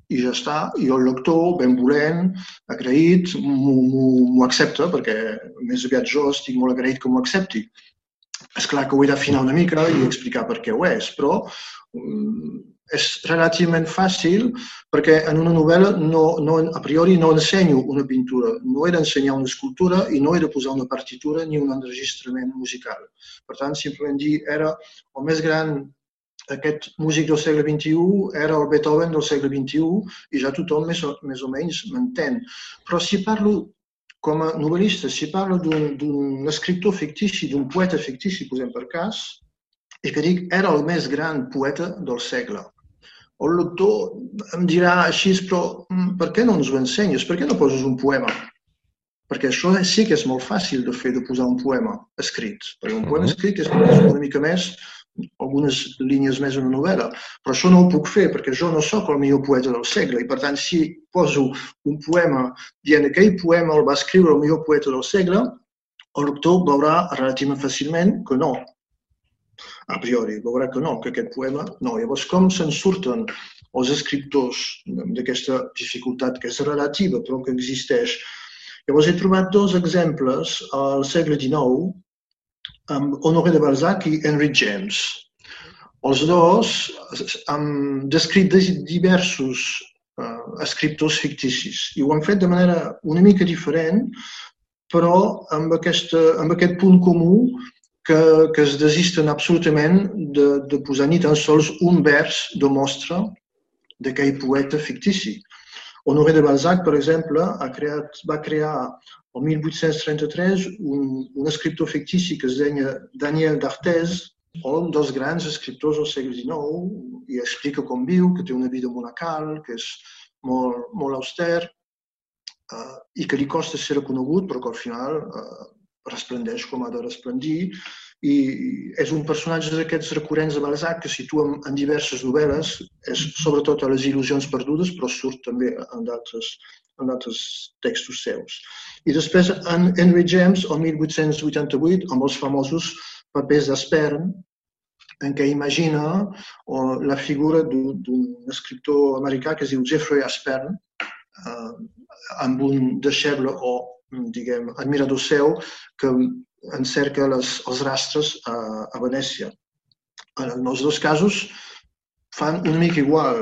I ja està, i el lector, benvolent, agraït, m'ho accepta, perquè més aviat jo estic molt agraït que m'ho accepti. És clar que ho he d'afinar una mica i explicar per què ho és, però és relativament fàcil perquè en una novel·la no, no, a priori no ensenyo una pintura, no he d'ensenyar una escultura i no he de posar una partitura ni un enregistrament musical. Per tant, simplement dir, era el més gran, aquest músic del segle vint-i-u era el Beethoven del segle vint-i-u i ja tothom més o, més o menys m'entén. Però si parlo com a novel·lista, si parlo d'un escriptor fictici, d'un poeta fictici, posem per cas, i que dic, era el més gran poeta del segle. El lector em dirà així, però per què no ens ho ensenyes? Per què no poses un poema? Perquè això sí que és molt fàcil de fer, de posar un poema escrit. Perquè un poema escrit és una mica més, algunes línies més en una novel·la. Però això no ho puc fer, perquè jo no sóc el millor poeta del segle. I per tant, si poso un poema dient que aquell poema el va escriure el millor poeta del segle, el lector veurà relativament fàcilment que no. A priori, veurà que no, que aquest poema no. Llavors, com se'n surten els escriptors d'aquesta dificultat que és relativa però que existeix? Llavors, he trobat dos exemples al segle dinou amb Honoré de Balzac i Henry James. Els dos han descrit diversos uh, escriptors ficticis i ho han fet de manera una mica diferent, però amb, aquesta, amb aquest punt comú que, que es desisten absolutament de, de posar ni tan sols un vers de mostra d'aquell poeta fictici. Honoré de Balzac, per exemple, ha creat, va crear el mil vuit-cents trenta-tres un, un escriptor fictici que es deia Daniel d'Arthez, un dels grans escriptors del segle dinou, i explica com viu, que té una vida monacal, que és molt, molt auster, uh, i que li costa ser reconegut, però que al final uh, resplendeix com ha de resplendir, i és un personatge d'aquests recurrents de Balzac que situa en diverses novel·les, és sobretot a les il·lusions perdudes, però surt també en d'altres textos seus. I després en Henry James, el mil vuit-cents vuitanta-vuit, amb els famosos papers d'Aspern, en què imagina la figura d'un escriptor americà que es diu Jeffrey Aspern, amb un deixeble o diguem, admirador seu, que encerca les, els rastres a, a Venècia. En els dos casos fan una mica igual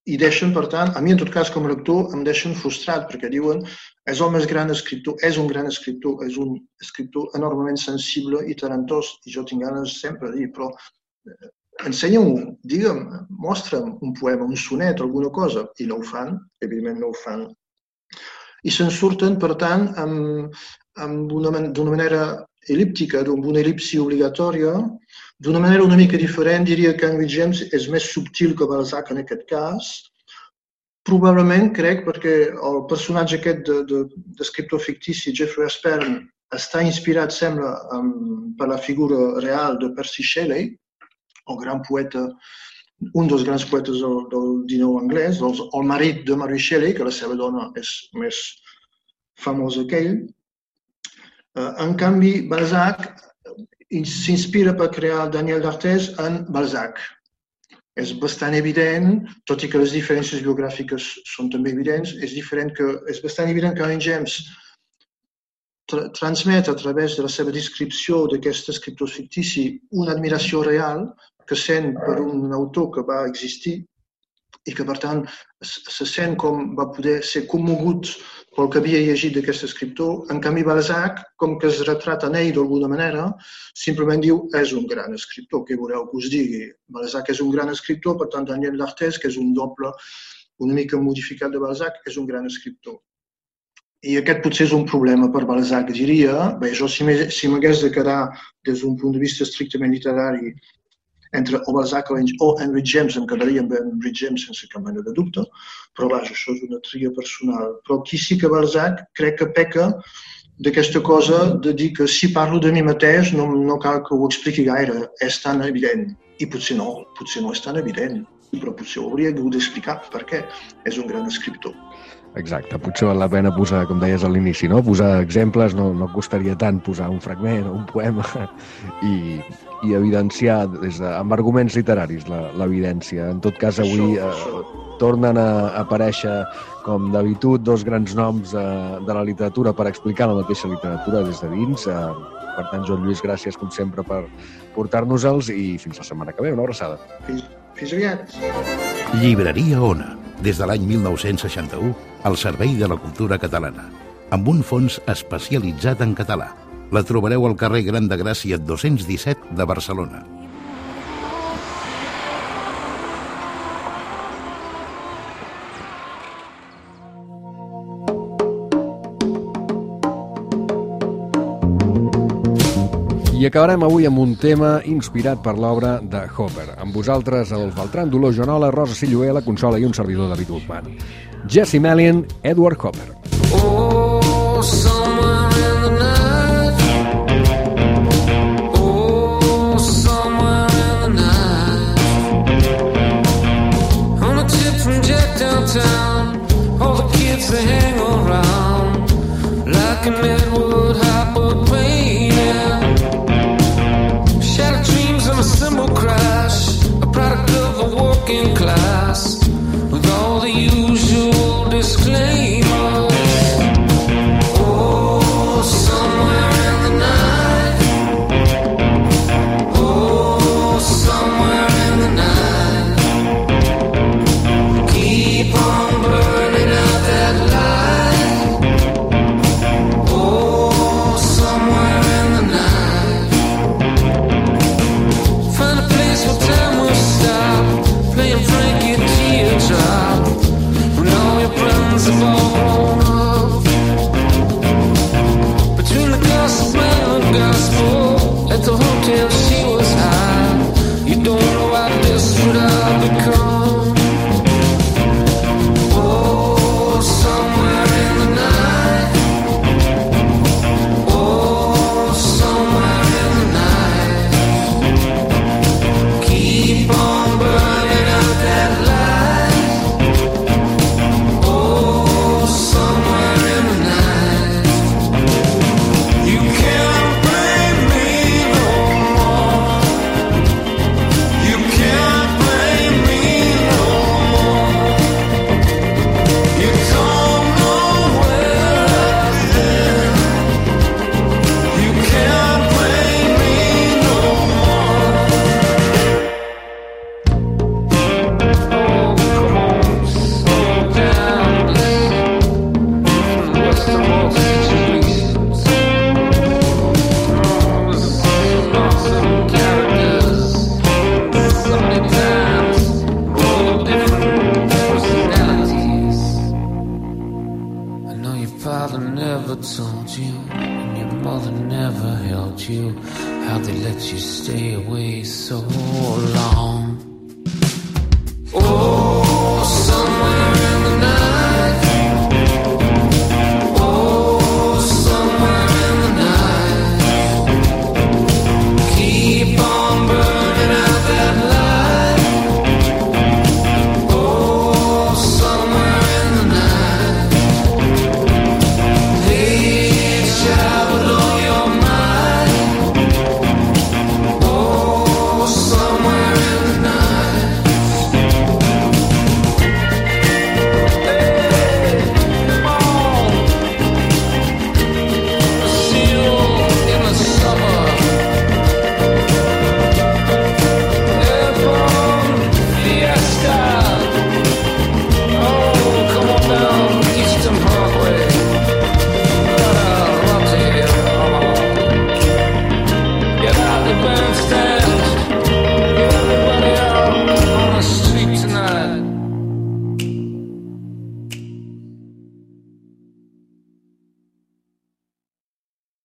i deixen, per tant, a mi en tot cas com a lector em deixen frustrat perquè diuen és el més gran escriptor, és un gran escriptor, és un escriptor enormement sensible i talentós i jo tinc ganes sempre de dir, però ensenya-m'ho, digue'm, mostra'm un poema, un sonet, alguna cosa, i no ho fan, evidentment no ho fan. I se'n surten, per tant, d'una manera el·líptica, amb una el·lipsi obligatòria, d'una manera una mica diferent, diria que Henry James és més subtil que Balzac en aquest cas. Probablement, crec, perquè el personatge aquest d'escriptor fictici, Jeffrey Aspern, està inspirat, sembla, per la figura real de Percy Shelley, el gran poeta, un dels grans poetes del, del dinou anglès, el, el marit de Mary Shelley, que la seva dona és més famosa que ell. En canvi, Balzac s'inspira per crear Daniel d'Arthez en Balzac. És bastant evident, tot i que les diferències biogràfiques són també evidents, és, diferent que, és bastant evident que Henry James tra transmet a través de la seva descripció d'aquest escriptor fictici una admiració real que sent per un autor que va existir i que, per tant, se sent com va poder ser commogut pel que havia llegit d'aquest escriptor. En canvi, Balzac, com que es retrata en ell d'alguna manera, simplement diu és un gran escriptor, què voleu que us digui? Balzac és un gran escriptor, per tant, Daniel d'Artés, que és un doble una mica modificat de Balzac, és un gran escriptor. I aquest potser és un problema per Balzac, diria. Bé, jo si m'hagués de quedar des d'un punt de vista estrictament literari entre o Balzac o Henry James, em quedaria amb Henry James sense cap mena de dubte, però vaja, això és una tria personal. Però aquí sí que Balzac crec que peca d'aquesta cosa de dir que si parlo de mi mateix no, no cal que ho expliqui gaire, és tan evident. I potser no, potser no és tan evident, però potser ho hauria hagut d'explicar per què és un gran escriptor. Exacte, potser val la pena posar, com deies a l'inici, no? Posar exemples, no, no costaria tant posar un fragment o un poema i, i evidenciar des de, amb arguments literaris l'evidència. En tot cas, avui eh, tornen a aparèixer, com d'habitud, dos grans noms eh, de la literatura per explicar la mateixa literatura des de dins. Eh, per tant, Joan Lluís, gràcies, com sempre, per portar-nos-els i fins la setmana que ve. Una abraçada. Fins, fins aviat. Llibreria Ona, des de l'any mil nou-cents seixanta-u, al servei de la cultura catalana, amb un fons especialitzat en català. La trobareu al carrer Gran de Gràcia dos-cents disset de Barcelona. I acabarem avui amb un tema inspirat per l'obra de Hopper. Amb vosaltres, Adolf Beltran, Dolors Joanola, Rosa Silloé, la consola i un servidor, David Guzmán. Jesse Melian, Edward Hopper. Oh, somewhere in the night. Oh, somewhere in the night. On a tip from Jack downtown, all the kids they hang around like an Edward Hopper painting. Shattered dreams and a cymbal crash, a product of a working class with all the usual disclaimers. Oh, somewhere in the night. Oh, somewhere in the night. Keep on burning out that light. Oh, somewhere in the night. Find a place where time will stop, playing Frankie Teardrop. All your friends have all grown up. Between the gossip and the gospel, at the hotel she was high. You don't know how desperate I've become. Oh, somewhere in the night. Oh, somewhere in the night. Keep on burning out that light. Told you, and your mother never held you. How'd they let you stay away so long?